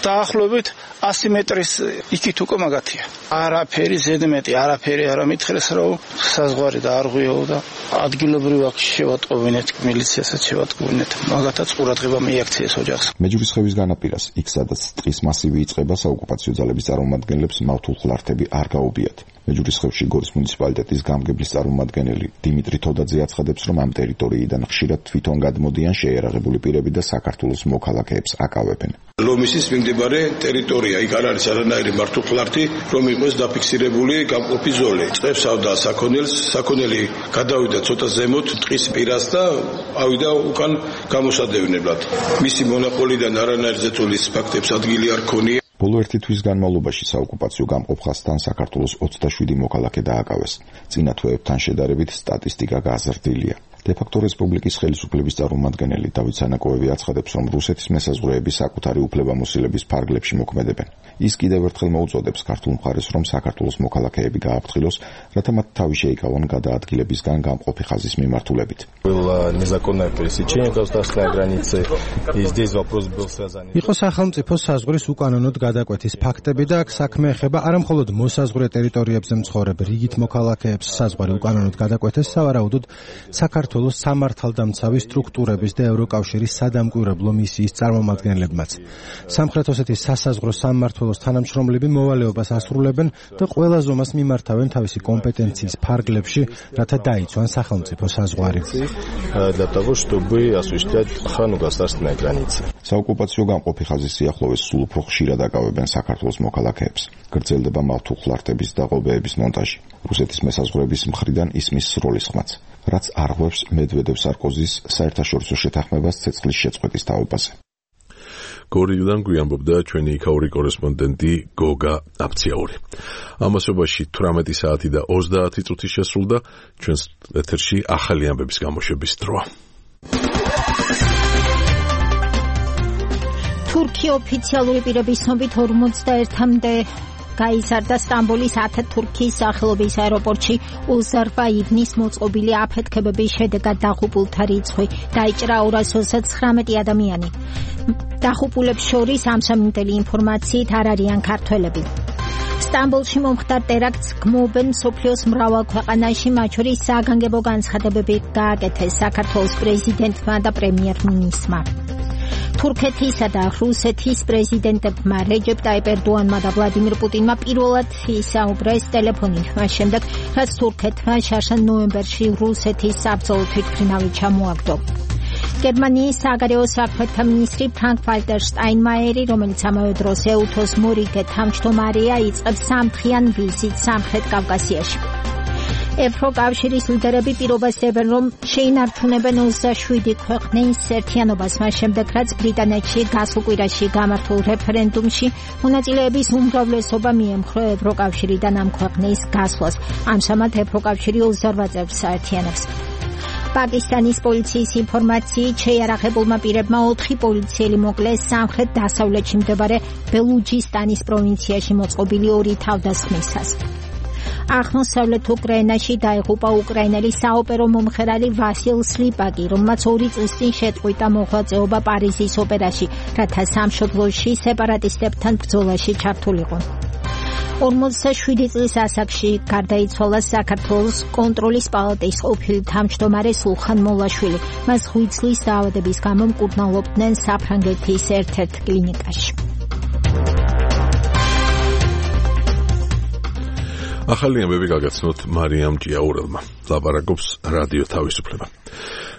დაახლოებით 100 მეტრის იქით უკვე მაგათია. არაფერი ზედმეტი, არაფერი არ ამითხრეს, რომ საზღვარი დაარღვიო და ადგილობრივ აქ შევატყობინეთ, მილიციაში შევატყობინეთ. მაგათაც ყურადღება მიაქციეს ოჯახს. მეჯურისხევის განაპირას, იქ სადაც ტყის მასივი იწყება, საოკუპაციო ძალების წარმომადგენლებს მავთულხლართები არ გაუბიათ. მეჯურისხევში გორის მუნიციპალიტეტის გამგებლის წარმომადგენელი დიმიტრი თოდაძე აცხადებს, რომ ამ ტერიტორიიდან ხშირად თვითონ გადმოდიან შეიარაღებული პირები და საქართველოს მოქალაქეებს აკავებენ. ლომისის მიმდებარე ტერიტორია, იქ არ არის არანაირი მართულხლართი, რომ იყოს დაფიქსირებული გამყოფი ზოლი. წევსავდა საქონელს, საქონელი გადავიდა ცოტა ზემოთ ტყის პირას და ავიდა უკან გამოსადევნებლად. მისი მონოპოლიდან არანაირი ზეწოლის ფაქტებს ადგილი არ ქონია. ბოლო ერთი თვის განმავლობაში საოკუპაციო გამყოფხასთან საქართველოს 27 მოქალაქე დააკავეს. წინა თვეებთან შედარებით სტატისტიკა გაზრდილია. დე-ფაქტო რესპუბლიკის ხელისუფლების წარმომადგენელი დავით სანაკოევი აცხადებს, რომ რუსეთის მესაზღვრეები საკუთარი უფლებამოსილების ფარგლებში მოქმედებენ. ის კიდევ ერთხელ მოუწოდებს ქართულ მხარეს, რომ საქართველოს მოქალაქეები გააფრთხილოს, რათა მათ თავი შეიკავონ გადაადგილებისგან გამყოფი ხაზის მიმართულებით. იყო სახელმწიფოს საზღვრის უკანონოდ გადაკვეთის ფაქტები და აქ საქმე ეხება არა მხოლოდ მოსაზღვრე ტერიტორიებზე მცხოვრებ რიგით მოქალაქეებს საზღვარი უკანონოდ გადაკვეთეს, სავარაუდოდ საქართველოს საქართველოს სამართალდამცავი სტრუქტურების და ევროკავშირის სადამკვირვებლო მისიის წარმომადგენლებმაც. სამხრეთ ოსეთის სასაზღვრო სამმართველოს თანამშრომლები მოვალეობას ასრულებენ და ყველა ზომას მიმართავენ თავისი კომპეტენციის ფარგლებში, რათა დაიცვან სახელმწიფო საზღვარი. Для того, чтобы осуществлять охрану государственной границы. საოკუპაციო გამყოფი ხაზის სიახლოვეს სულ უფრო ხშირად აკავებენ საქართველოს მოქალაქეებს. გრძელდება მავთუხლარტების და ღობეების მონტაჟი. რუსეთის მესაზღვრების მხრიდან ისმის სროლის ხმაც, რაც არღვევს მედვედევ-სარკოზის საერთაშორისო შეთანხმებას ცეცხლის შეწყვეტის თაობაზე. გორილიდან გვიანბობდა ჩვენი იქაური კორესპონდენტი გოგა აფციაური. ამასობაში 18 საათი და 30 წუთი შესრულდა ჩვენს ეთერში ახალი ამბების გამოშვების დროა. თურქი ოფიციალური პირების ცნობით 41-მდე გაიზარდა სტამბოლის ათათურქის სახელობის აეროპორტში უზარბაიჯანის მოწყობილი აფეთქებების შედეგად დაღუპულთა რიცხვი დაიჭრა 229 ადამიანი. დაღუპულებს შორის ამჟამინდელი ინფორმაციით არ არიან ქართველები. სტამბოლში მომხდარ ტერაქტს გმობენ მსოფლიოს მრავალ ქვეყანაში, მათ შორის საგანგებო განცხადებები გააკეთეს საქართველოს პრეზიდენტმა და პრემიერ-მინისტრმა. თურქეთისა და რუსეთის პრეზიდენტებმა რეჯეპ ტაიპ ერდოანმა და ვლადიმირ პუტინმა პირველად ისაუბრეს ტელეფონით, მას შემდეგ, რაც თურქეთმა შარშან ნოემბერში რუსეთის საბრძოლო თვითმფრინავი ჩამოაგდო. გერმანიის საგარეო საქმეთა მინისტრი ფრანკ ვალტერ შტაინმაიერი, რომელიც ამავე დროს ეუთოს მორიგე თავმჯდომარეა, იწყებს სამთხიან ვიზიტს სამხრეთ კავკასიაში. ევროკავშირის ლიდერები პირობას დებენ, რომ შეინარჩუნებენ 27 ქვეყნის ერთიანობას, მას შემდეგ, რაც ბრიტანეთში გასულ კვირაში გამართულ რეფერენდუმში მონაწილეების უმრავლესობა მიემხრო ევროკავშირიდან ამ ქვეყნის გასვლას. ამჟამად ევროკავშირი 28 წევრს აერთიანებს. პაკისტანის პოლიციის ინფორმაციით შეიარაღებულმა პირებმა 4 პოლიციელი მოკლეს სამხრეთ დასავლეთში მდებარე ბელუჯისტანის პროვინციაში მოწყობილი 2 თავდასხმისას. აღმოსავლეთ უკრაინაში დაიღუპა უკრაინელი საოპერო მომღერალი ვასილ სლიპაკი, რომელმაც 2 წლის წინ შეწყვიტა მოღვაწეობა პარიზის ოპერაში, რათა სამშობლოში სეპარატისტებთან ბრძოლაში ჩართულიყო. 47 წლის ასაკში გარდაიცვალა საქართველოს კონტროლის პალატის ყოფილი თავმჯდომარე სულხან მოლაშვილი. მას 5 წლის დაავადების გამო მკურნალობდნენ საფრანგეთის ერთ-ერთ კლინიკაში. ახალი ამბები გაგაცნოთ მარიამ ჭიაურელმა. ლაპარაკობს რადიო თავისუფლება.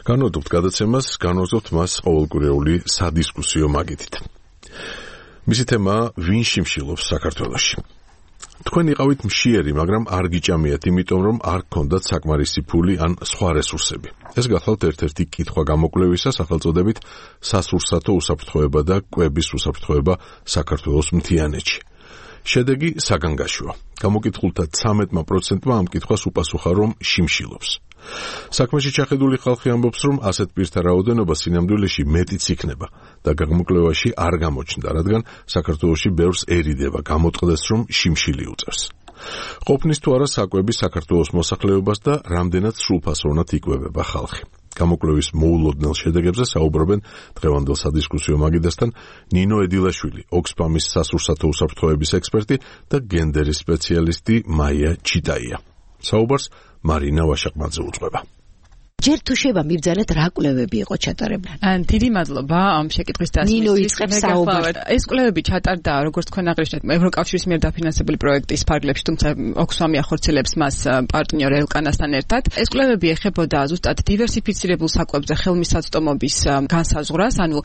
განვადობთ გადაცემას, განვაზობთ მას ყოველკვირეული სადისკუსიო მაგიდით. მისი თემაა ვინ შიმშილობს საქართველოში. თქვენ იყავით მშიერი, მაგრამ არ გიჭამიათ, იმიტომ რომ არ გქონდათ საკმარისი ფული ან სხვა რესურსები. ეს გახლავთ ერთ-ერთი კითხვა გამოკვლევისა სახელწოდებით სასურსათო უსაფრთხოება და კვების უსაფრთხოება საქართველოს მთიანეთში. შედეგი საგანგაშოა. გამოკითხულთა 13%-მა ამ კითხვას უპასუხა, რომ შიმშილობს. საქმეში ჩახედული ხალხი ამბობს, რომ ასეთ პირთა რაოდენობა სინამდვილეში მეტიც იქნება და გამოკვლევაში არ გამოჩნდა, რადგან საქართველოში ბევრს ერიდება, გამოწყდეს, რომ შიმშილი უწევს. ყოფნის თუ არა საკვები საქართველოს მოსახლეობას და რამდენად სრულფასოვნად იკვებება ხალხი. გამოკვლევის მოულოდნელ შედეგებზე საუბრობენ დღევანდელ სადისკუსიო მაგიდასთან ნინო ედილაშვილი, ოქსფამის სასურსათო უსაფრთხოების ექსპერტი და გენდერის სპეციალისტი მაია ჩიტაია. საუბარს მარინა ვაშაკმაძე უძღვება. ჯერ თუ შევა მიბრძანეთ რა კვლევები იყო ჩატარებული? დიდი მადლობა ამ შეკითხვის დასმისთვის. ნინო იწყებს საუბარს. ეს კვლევები ჩატარდა, როგორც თქვენ აღნიშნეთ, ევროკავშირის მიერ დაფინანსებული პროექტის ფარგლებში, თუმცა ოქსფამი ახორციელებს მას პარტნიორ ელკანასთან ერთად. ეს კვლევები ეხებოდა ზუსტად დივერსიფიცირებულ საკვებზე ხელმისაწვდომობის განსაზღვრას, ანუ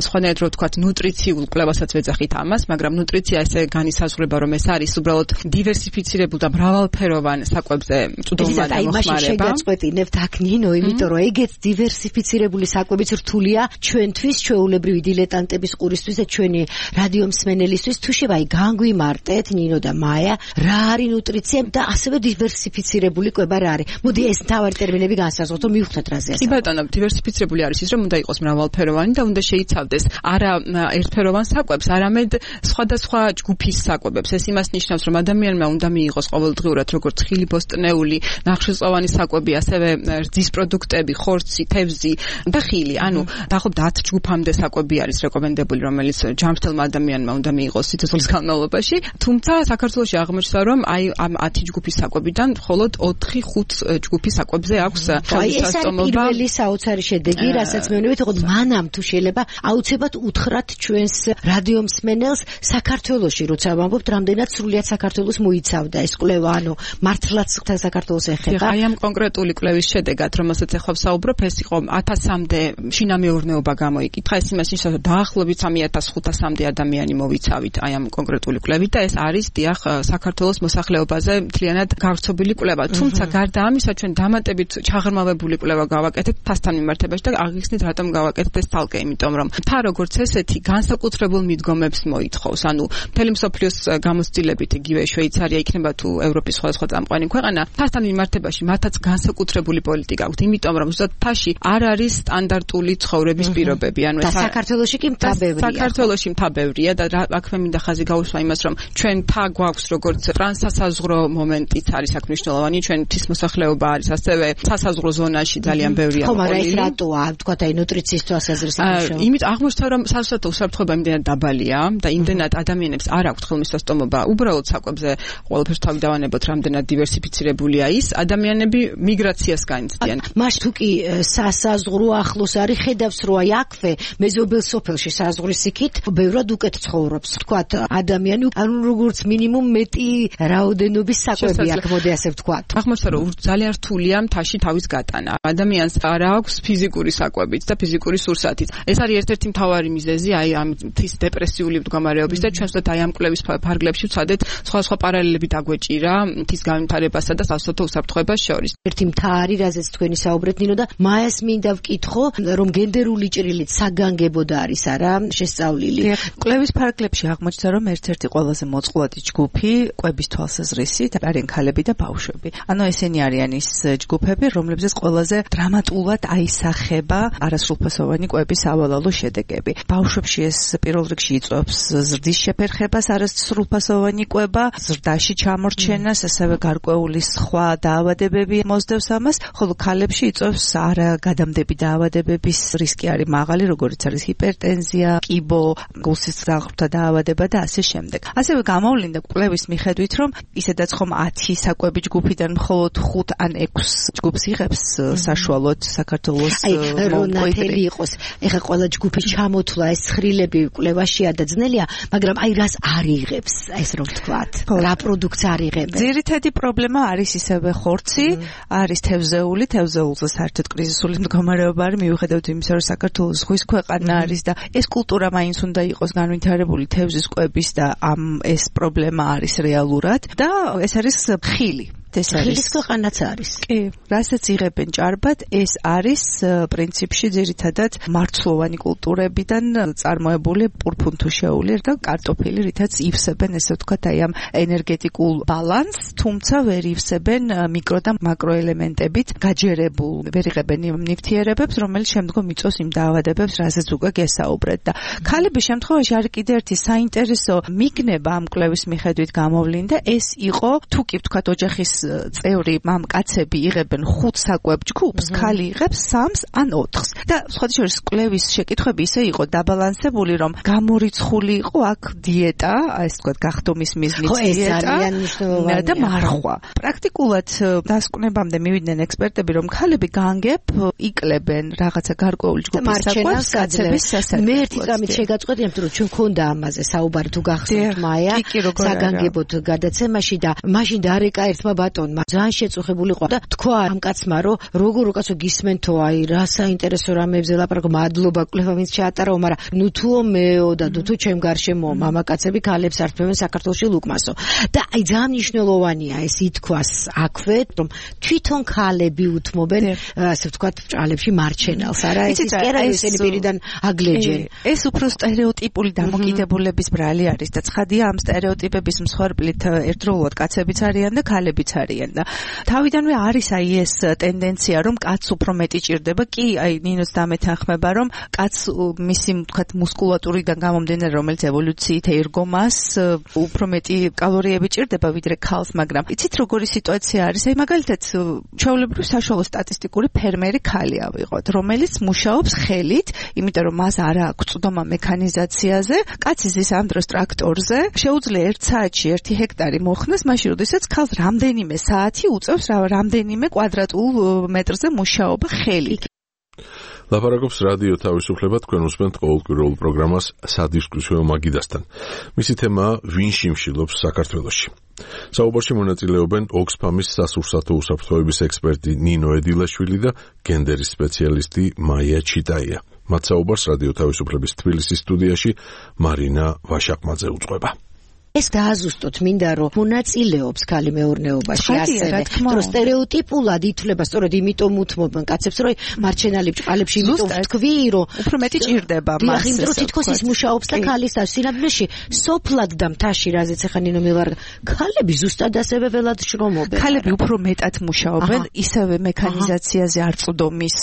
სხვანაირად რო ვთქვათ, ნუტრიციულ კვლევასაც ვეძახით ამას, მაგრამ ნუტრიცია ესე განისაზღვრება, რომ ეს არის უბრალოდ დივერსიფიცირებულ და მრავალფეროვან საკვებზე მწვდომარე მოხმარება. შეგაწყვეტინებთ აქ ნინო, იმიტომ რომ ეგეც დივერსიფიცირებული საკვებიც რთულია ჩვენთვის, ჩვეულებრივი დილეტანტების ყურისთვის და ჩვენი რადიო მსმენელისთვის. თუ შევაი განგვიმარტეთ ნინო და მაია, რა არის ნუტრიცია და ასევე დივერსიფიცირებული კვება რა არის? მოდი ეს თავარი ტერმინები განსაზღვროთ, რომ მივხვდეთ რაზე ასწავლეთ. კი ბატონო, დივერსიფიცირებული არის ის, რომ უნდა იყოს მრავალფეროვანი და უნდა შეიცავდეს არა ერთფეროვან საკვებს, არამედ სხვადასხვა ჯგუფის საკვებებს. ეს იმას ნიშნავს, რომ ადამიანმა უნდა მიიღოს ყოველდღიურად როგორც ხილი, ბოსტნეული, ნახშირწყლოვანი საკვები, ასევე რძის პროდუქტები პროდუქტები, ხორცი, თევზი და ხილი. ანუ დაახლოებით 10 ჯგუფამდე საკვები არის რეკომენდებული, რომელიც ჯანმრთელმა ადამიანმა უნდა მიიღოს სიცოცხლის განმავლობაში. თუმცა საქართველოში აღმოჩნდა, რომ აი ამ 10 ჯგუფის საკვებიდან მხოლოდ 4-5 ჯგუფის საკვებზე აქვს ხელმისაწვდომობა. ეს არის პირველი საოცარი შედეგი, რასაც მეუბნებით, თქო მანამ თუ შეიძლება აუცილებლად უთხრათ ჩვენს რადიო მსმენელს საქართველოში, როცა ვამბობთ, რამდენად სრულიად საქართველოს მოიცავდა ეს კვლევა, ანუ მართლაც საქართველოს ეხება. აი ამ კონკრეტული კვლევის შედეგად, რომელსაც ახლა ვსაუბრობ, ეს იყო 1000-მდე შინამეურნეობა გამოიკითხა. ეს იმას ნიშნავს, რომ დაახლოებით 3500-მდე ადამიანი მოვიცავით აი ამ კონკრეტული კვლევით და ეს არის დიახ საქართველოს მოსახლეობაზე მთლიანად გავრცობილი კვლევა. თუმცა გარდა ამისა, ჩვენ დამატებით ჩაღრმავებული კვლევა გავაკეთებთ ფასთან მიმართებაში და აღიხსნით რატომ გავაკეთეთ ეს თალკე, იმიტომ რომ ფა როგორც ესეთი განსაკუთრებულ მიდგომებს მოითხოვს. ანუ მთელი მსოფლიოს გამოცდილებით იგივე შვეიცარია იქნება თუ ევროპის სხვადასხვა წამყვანი ქვეყანა, ფასთან მიმართებაში მათაც განსაკუთრებული პოლიტიკა აქვს, იმიტომ რომ ზუსტად ფაში არ არის სტანდარტული ცხოვრების პირობები. ანუ და საქართველოში კი მთა ბევრია. საქართველოში მთა ბევრია და აქვე მინდა ხაზი გაუსვა იმას, რომ ჩვენ მთა გვაქვს როგორც ტრანსსასაზღვრო მომენტიც არის აქ მნიშვნელოვანი, ჩვენთვის მოსახლეობა არის ასევე სასაზღვრო ზონაში ძალიან ბევრია. ხო, მაგრამ ეს რატოა, თქვათ აი ნუტრიციის თვალსაზრისით მნიშვნელოვანი. იმით აღმოჩნდა, რომ სასწრაფო უსაფრთხოება იმდენად დაბალია და იმდენად ადამიანებს არ აქვთ ხელმისაწვდომობა უბრალოდ საკვებზე ყველაფერს თავი დავანებოთ, რამდენად დივერსიფიცირებულია ის, ადამიანები მიგრაციას განიცდიან. მას თუ კი სასაზღვრო ახლოს არის, ხედავს რომ აი აქვე მეზობელ სოფელში საზღვრის იქით ბევრად უკეთ ცხოვრობს. თქვათ ადამიანი ანუ როგორც მინიმუმ მეტი რაოდენობის საკვები აქვს, მოდი ასე ვთქვათ. აღმოჩნდა, რომ ძალიან რთულია მთაში თავის გატანა. ადამიანს არ აქვს ფიზიკური საკვებიც და ფიზიკური სურსათიც. ეს არის ერთ-ერთი მთავარი მიზეზი აი ამ მთის დეპრესიული მდგომარეობის და ჩვენ ვთქვათ აი ამ კვლევის ფარგლებში ვცადეთ სხვადასხვა პარალელები დაგვეჭირა მთის განვითარებასა და სასოფლო უსაფრთხოებას შორის. ერთი მთა არის, რაზეც თქვენი საუბრეთ ნინო და მაეს მინდა ვკითხო, რომ გენდერული ჭრილით საგანგებოდ არის არა შესწავლილი. კვლევის ფარგლებში აღმოჩნდა, რომ ერთ-ერთი ყველაზე მოწყვლადი ჯგუფი კვების თვალსაზრისით არიან ქალები და ბავშვები. ანუ ესენი არიან ის ჯგუფები, რომლებზეც ყველაზე დრამატულად აისახება არასრულფასოვანი კვების სავალალო შედეგები. ბავშვებში ეს პირველ რიგში იწვევს ზრდის შეფერხებას არასრულფასოვანი კვება, ზრდაში ჩამორჩენას, ასევე გარკვეული სხვა დაავადებები მოსდევს ამას, ხოლო ქალებში იწვევს არაგადამდები დაავადებების რისკი არის მაღალი, როგორიც არის ჰიპერტენზია, კიბო, გულსისრაღთა დაავადება და ასე შემდეგ. ასევე გამოვლინდა კვლევის მიხედვით, რომ ისედაც ხომ 10 საკვები ჯგუფიდან მხოლოდ 5 ან 6 ჯგუფს იღებს საშუალოდ საქართველოს მონკოიდრი იყოს. ეხა ყველა ჯგუფის ჩამოთვლა ეს ცხრილები კვლევაშია და ძნელია, მაგრამ აი რას არ იღებს, ეს რომ ვთქვათ, რა პროდუქტს არ იღებს. ძირითადი პრობლემა არის ისევე ხორცი, არის თევზეული, თევზეულზე საერთოდ კრიზისული მდგომარეობა არის, მიუხედავად იმისა, რომ საქართველოს ზღვის ქვეყანა არის და ეს კულტურა მაინც უნდა იყოს განვითარებული თევზის კვების და ეს პრობლემა არის რეალურად და ეს არის ხილი. ხილის ქვეყანაც არის. კი, რასაც იღებენ ჭარბად, ეს არის პრინციპში ძირითადად მარცვლოვანი კულტურებიდან წარმოებული პურფუნთუშეული და კარტოფილი, რითაც ივსებენ ესე ვთქვათ აი ამ ენერგეტიკულ ბალანსს, თუმცა ვერ ივსებენ მიკრო და მაკროელემენტებით გაჯერებულ, ვერ იღებენ იმ ნივთიერებებს, რომელიც შემდგომ იწვევს იმ დაავადებებს, რასაც უკვე გესაუბრეთ და ქალების შემთხვევაში არის კიდევ ერთი საინტერესო მიგნება ამ კვლევის მიხედვით გამოვლინდა, ეს იყო თუ კი ვთქვათ ოჯახის წევრი მამკაცები იღებენ 5 საკვებ ჯგუფს, ქალი იღებს 3 ან 4-ს. და სხვადასხვა კვლევის შეკითხვები ისე იყო დაბალანსებული, რომ გამორიცხული იყო აქ დიეტა, ეს თქვათ გახდომის მიზნით დიეტა და მარხვა. პრაქტიკულად დასკვნებამდე მივიდნენ ექსპერტები, რომ ქალები განგებ იკლებენ რაღაცა გარკვეული ჯგუფის საკვებს, კაცების სასარგებლოდ. მე ერთი წამით შეგაწყვეტი, იმიტომ რომ ჩვენ ქონდა ამაზე საუბარი თუ გახსოვთ მაია, საგანგებოდ გადაცემაში და მაშინ დარეკა ერთმა ბატონმა ძალიან შეწუხებული იყო და თქვა ამ კაცმა, რომ როგორ უკაცო გისმენთო, აი რა საინტერესო რამებზე ლაპარაკობ, მადლობა კვლევა ვინც ჩაატარო, მაგრამ ნუ თუო მეო და თუ ჩემ გარშემო მამაკაცები ქალებს არწმევენ საქართველოში ლუკმასო. და აი ძალიან მნიშვნელოვანია ეს ითქვას აქვე, რომ თვითონ ქალები უთმობენ, ასე ვთქვათ, ბრალებში მარჩენალს, არა ეს კერა ესენი პირიდან აგლეჯენ. ეს უფრო სტერეოტიპული დამოკიდებულების ბრალი არის და ცხადია ამ სტერეოტიპების მსხვერპლით ერთდროულად კაცებიც არიან და ქალებიც არიან და თავიდანვე არის აი ეს ტენდენცია რომ კაცს უფრო მეტი ჭირდება კი აი ნინოს დამეთანხმება რომ კაცს მისი თქვათ მუსკულატურიდან გამომდინარე რომელიც ევოლუციით ერგო მას უფრო მეტი კალორიები ჭირდება ვიდრე ქალს მაგრამ იცით როგორი სიტუაცია არის აი მაგალითად ჩვეულებრივ საშუალო სტატისტიკური ფერმერი ქალი ავიღოთ რომელიც მუშაობს ხელით იმიტომ რომ მას არ აქვს წვდომა მექანიზაციაზე კაცის ის ამ დროს ტრაქტორზე შეუძლია 1 საათში 1 ჰექტარი მოხსნას მაშინ როდესაც ქალს რამდენიმე საათი უწევს რამდენიმე კვადრატულ მეტრზე მუშაობა ხელით ლაპარაკობს რადიო თავისუფლება თქვენ უსმენთ ყოველკვირეულ პროგრამას სადისკუსიო მაგიდასთან. მისი თემაა ვინ შიმშილობს საქართველოში. საუბარში მონაწილეობენ ოქსფამის სასურსათო უსაფრთხოების ექსპერტი ნინო ედილაშვილი და გენდერის სპეციალისტი მაია ჩიტაია. მათ საუბარს რადიო თავისუფლების თბილისის სტუდიაში მარინა ვაშაკმაძე უძღვება. ეს გააზუსტოთ მინდა რომ მონაწილეობს ქალი მეურნეობაში ასევე რომ სტერეოტიპულად ითვლება სწორედ იმიტომ უთმობენ კაცებს რომ მარჩენალი ბჭყალებში იმიტომ თქვი რომ უფრო მეტი ჭირდება მას იმ დროს თითქოს ის მუშაობს და ქალის სინამდვილეში სოფლად და მთაში რაზეც ახლა ნინო მილარ ქალები ზუსტად ასევე ველად შრომობენ ქალები უფრო მეტად მუშაობენ ისევე მექანიზაციაზე არწვდომის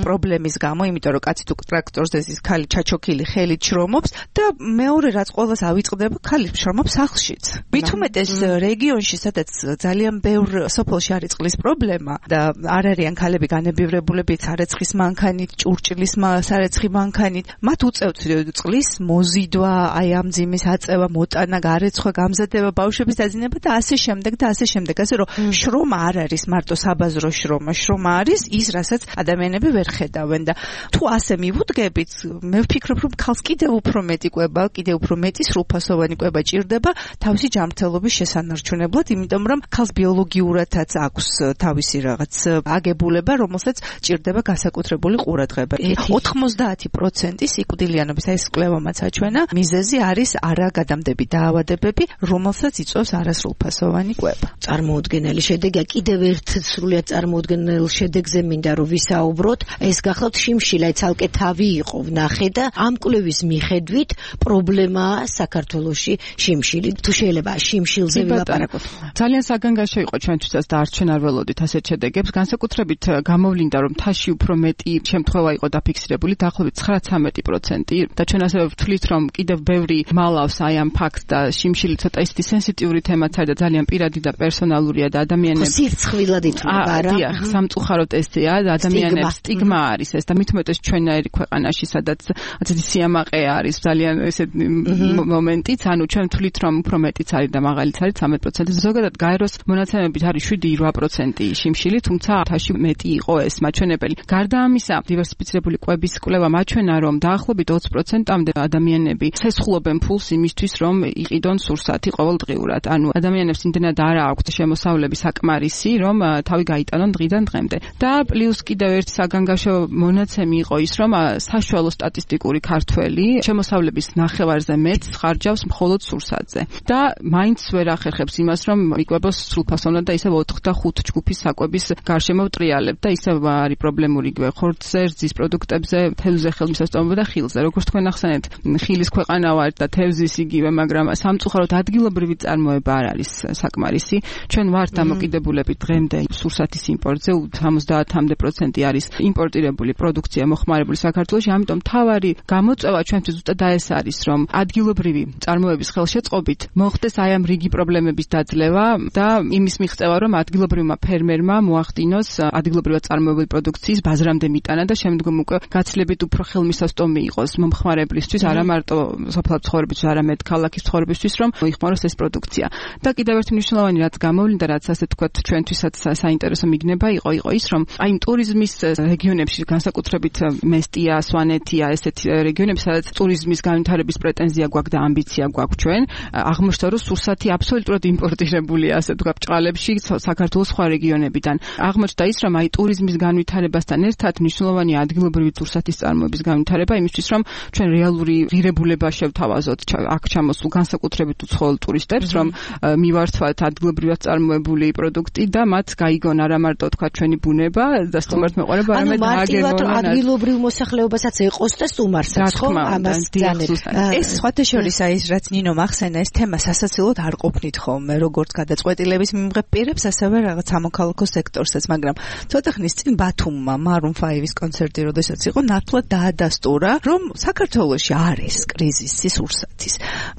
პრობლემის გამო იმიტომ რომ კაცი თუ ტრაქტორზე ის ქალი ჩაჩოქილი ხელით შრომობს და მეორე რაც ყოველას ავიწყდება ქალი სახლშიც. მით უმეტეს რეგიონში, სადაც ძალიან ბევრ სოფელში არის წყლის პრობლემა და არ არიან ქალები განებივრებულები სარეცხის მანქანით, ჭურჭლის სარეცხი მანქანით, მათ უწევთ წყლის მოზიდვა, აი ამ ძიმის აწევა, მოტანა, გარეცხვა, გამზადება, ბავშვების დაძინება და ასე შემდეგ და ასე შემდეგ. ასე რომ შრომა არ არის მარტო საბაზრო შრომა, შრომა არის ის, რასაც ადამიანები ვერ ხედავენ და თუ ასე მივუდგებით, მე ვფიქრობ, რომ ქალს კიდევ უფრო მეტი კვება, კიდევ უფრო მეტი სრულფასოვანი კვება ჭირდება თავისი ჯანმრთელობის შესანარჩუნებლად, იმიტომ რომ ქალს ბიოლოგიურადაც აქვს თავისი რაღაც აგებულება, რომელსაც ჭირდება განსაკუთრებული ყურადღება. 90% სიკვდილიანობის ეს კვლევამაც აჩვენა, მიზეზი არის არაგადამდები დაავადებები, რომელსაც იწვევს არასრულფასოვანი კვება. წარმოუდგენელი შედეგია, კიდევ ერთ სრულიად წარმოუდგენელ შედეგზე მინდა რომ ვისაუბროთ, ეს გახლავთ შიმშილა, ცალკე თავი იყო ვნახე და ამ კვლევის მიხედვით პრობლემაა საქართველოში შიმშილი. თუ შეიძლება შიმშილზე ვილაპარაკოთ. ძალიან საგანგაშო იყო ჩვენთვისაც და არც ჩვენ არ ველოდით ასეთ შედეგებს. განსაკუთრებით გამოვლინდა რომ თაში უფრო მეტი შემთხვევა იყო დაფიქსირებული, დაახლოებით 9-13% და ჩვენ ასევე ვთვლით რომ კიდევ ბევრი მალავს აი ამ ფაქტს და შიმშილი ცოტა ისეთი სენსიტიური თემაც არის და ძალიან პირადი და პერსონალურია და ადამიანებს სირცხვილად ითვლება რა. დიახ, სამწუხაროდ ესეა და ადამიანებს სტიგმა არის ეს და მით უმეტეს ჩვენაირი ქვეყანაში სადაც ასეთი სიამაყე არის ძალიან ესეთ მომენტიც, ანუ ჩვენ ვთვლით რომ უფრო მეტიც არის და მაღალიც არის 13%. ზოგადად გაეროს მონაცემებით არის 7-8% შიმშილი, თუმცა თაში მეტი იყო ეს მაჩვენებელი. გარდა ამისა, დივერსიფიცირებული კვების კვლევა მაჩვენა, რომ დაახლოებით 20%-მდე ადამიანები ცესხლობენ ფულს იმისთვის, რომ იყიდონ სურსათი ყოველდღიურად. ანუ ადამიანებს იმდენად არ აქვთ შემოსავლების საკმარისი, რომ თავი გაიტანონ დღიდან დღემდე. და პლუს კიდევ ერთი საგანგაშო მონაცემი იყო ის, რომ საშუალო სტატისტიკური ქართველი შემოსავლების ნახევარზე მეტს ხარჯავს მხოლოდ სურსათზე. და მაინც ვერ ახერხებს იმას, რომ იკვებოს სრულფასოვნად და ისევ 4-5 ჯგუფის საკვების გარშემო ვტრიალებ და ისევ არის პრობლემური ხორცზე, რძის პროდუქტებზე, თევზზე ხელმისაწვდომობა და ხილზე. როგორც თქვენ ახსენეთ, ხილის ქვეყანა ვართ და თევზის იგივე, მაგრამ სამწუხაროდ ადგილობრივი წარმოება არ არის საკმარისი. ჩვენ ვართ დამოკიდებულები დღემდე სურსათის იმპორტზე, 70% არის იმპორტირებული პროდუქცია მოხმარებული საქართველოში, ამიტომ თავარი გამოწვევა ჩვენთვის ზუსტად ეს არის, რომ ადგილობრივი წარმოების ხელშეწყობით მოხდეს აი ამ რიგი პრობლემების დაძლევა და იმის მიღწევა, რომ ადგილობრივმა ფერმერმა მოახდინოს ადგილობრივად წარმოებული პროდუქციის ბაზრამდე მიტანა და შემდგომ უკვე გაცილებით უფრო ხელმისაწვდომი იყოს მომხმარებლისთვის, არა მარტო სოფლად ცხოვრებისთვის, არამედ ქალაქის ცხოვრებისთვის, რომ მოიხმაროს ეს პროდუქცია. და კიდევ ერთი მნიშვნელოვანი რაც გამოვლინდა, რაც ასე თქვა ჩვენთვისაც საინტერესო მიგნება იყო ის, რომ აი ტურიზმის რეგიონებში, განსაკუთრებით მესტია, სვანეთია, ესეთი რეგიონები, სადაც ტურიზმის განვითარების პრეტენზია გვაქვს და ამბიცია გვაქვს ჩვენ, აღმოჩნდა რომ სურსათი აბსოლუტურად იმპორტირებულია, ასე თქვა ბჭყალებში საქართველოს სხვა რეგიონებიდან. აღმოჩნდა ის, რომ აი ტურიზმის განვითარებასთან ერთად მნიშვნელოვანია ადგილობრივი სურსათის წარმოების განვითარება, იმისთვის რომ ჩვენ რეალური ღირებულება შევთავაზოთ აქ ჩამოსულ განსაკუთრებით უცხოელ ტურისტებს, რომ მივართვათ ადგილობრივად წარმოებული პროდუქტი და მათ გაიგონ არა მარტო თქვა ჩვენი ბუნება და სტუმართ მეყარება, არამედ აგერონ ადგილობრივ მოსახლეობასაც ეყოს და სტუმარსაც, ხო? ამას ძალიან ეს სხვათა შორის აი რაც ნინო ხსენა ეს თემა სასაცილოდ არ ყოფნით ხოლმე, როგორც გადაწყვეტილების მიმღებ პირებს, ასევე რაღაც სამოქალაქო სექტორსაც, მაგრამ ცოტა ხნის წინ ბათუმმა Maroon 5-ის კონცერტი, როდესაც იყო, ნათლად დაადასტურა, რომ საქართველოში არის კრიზისი სურსათის.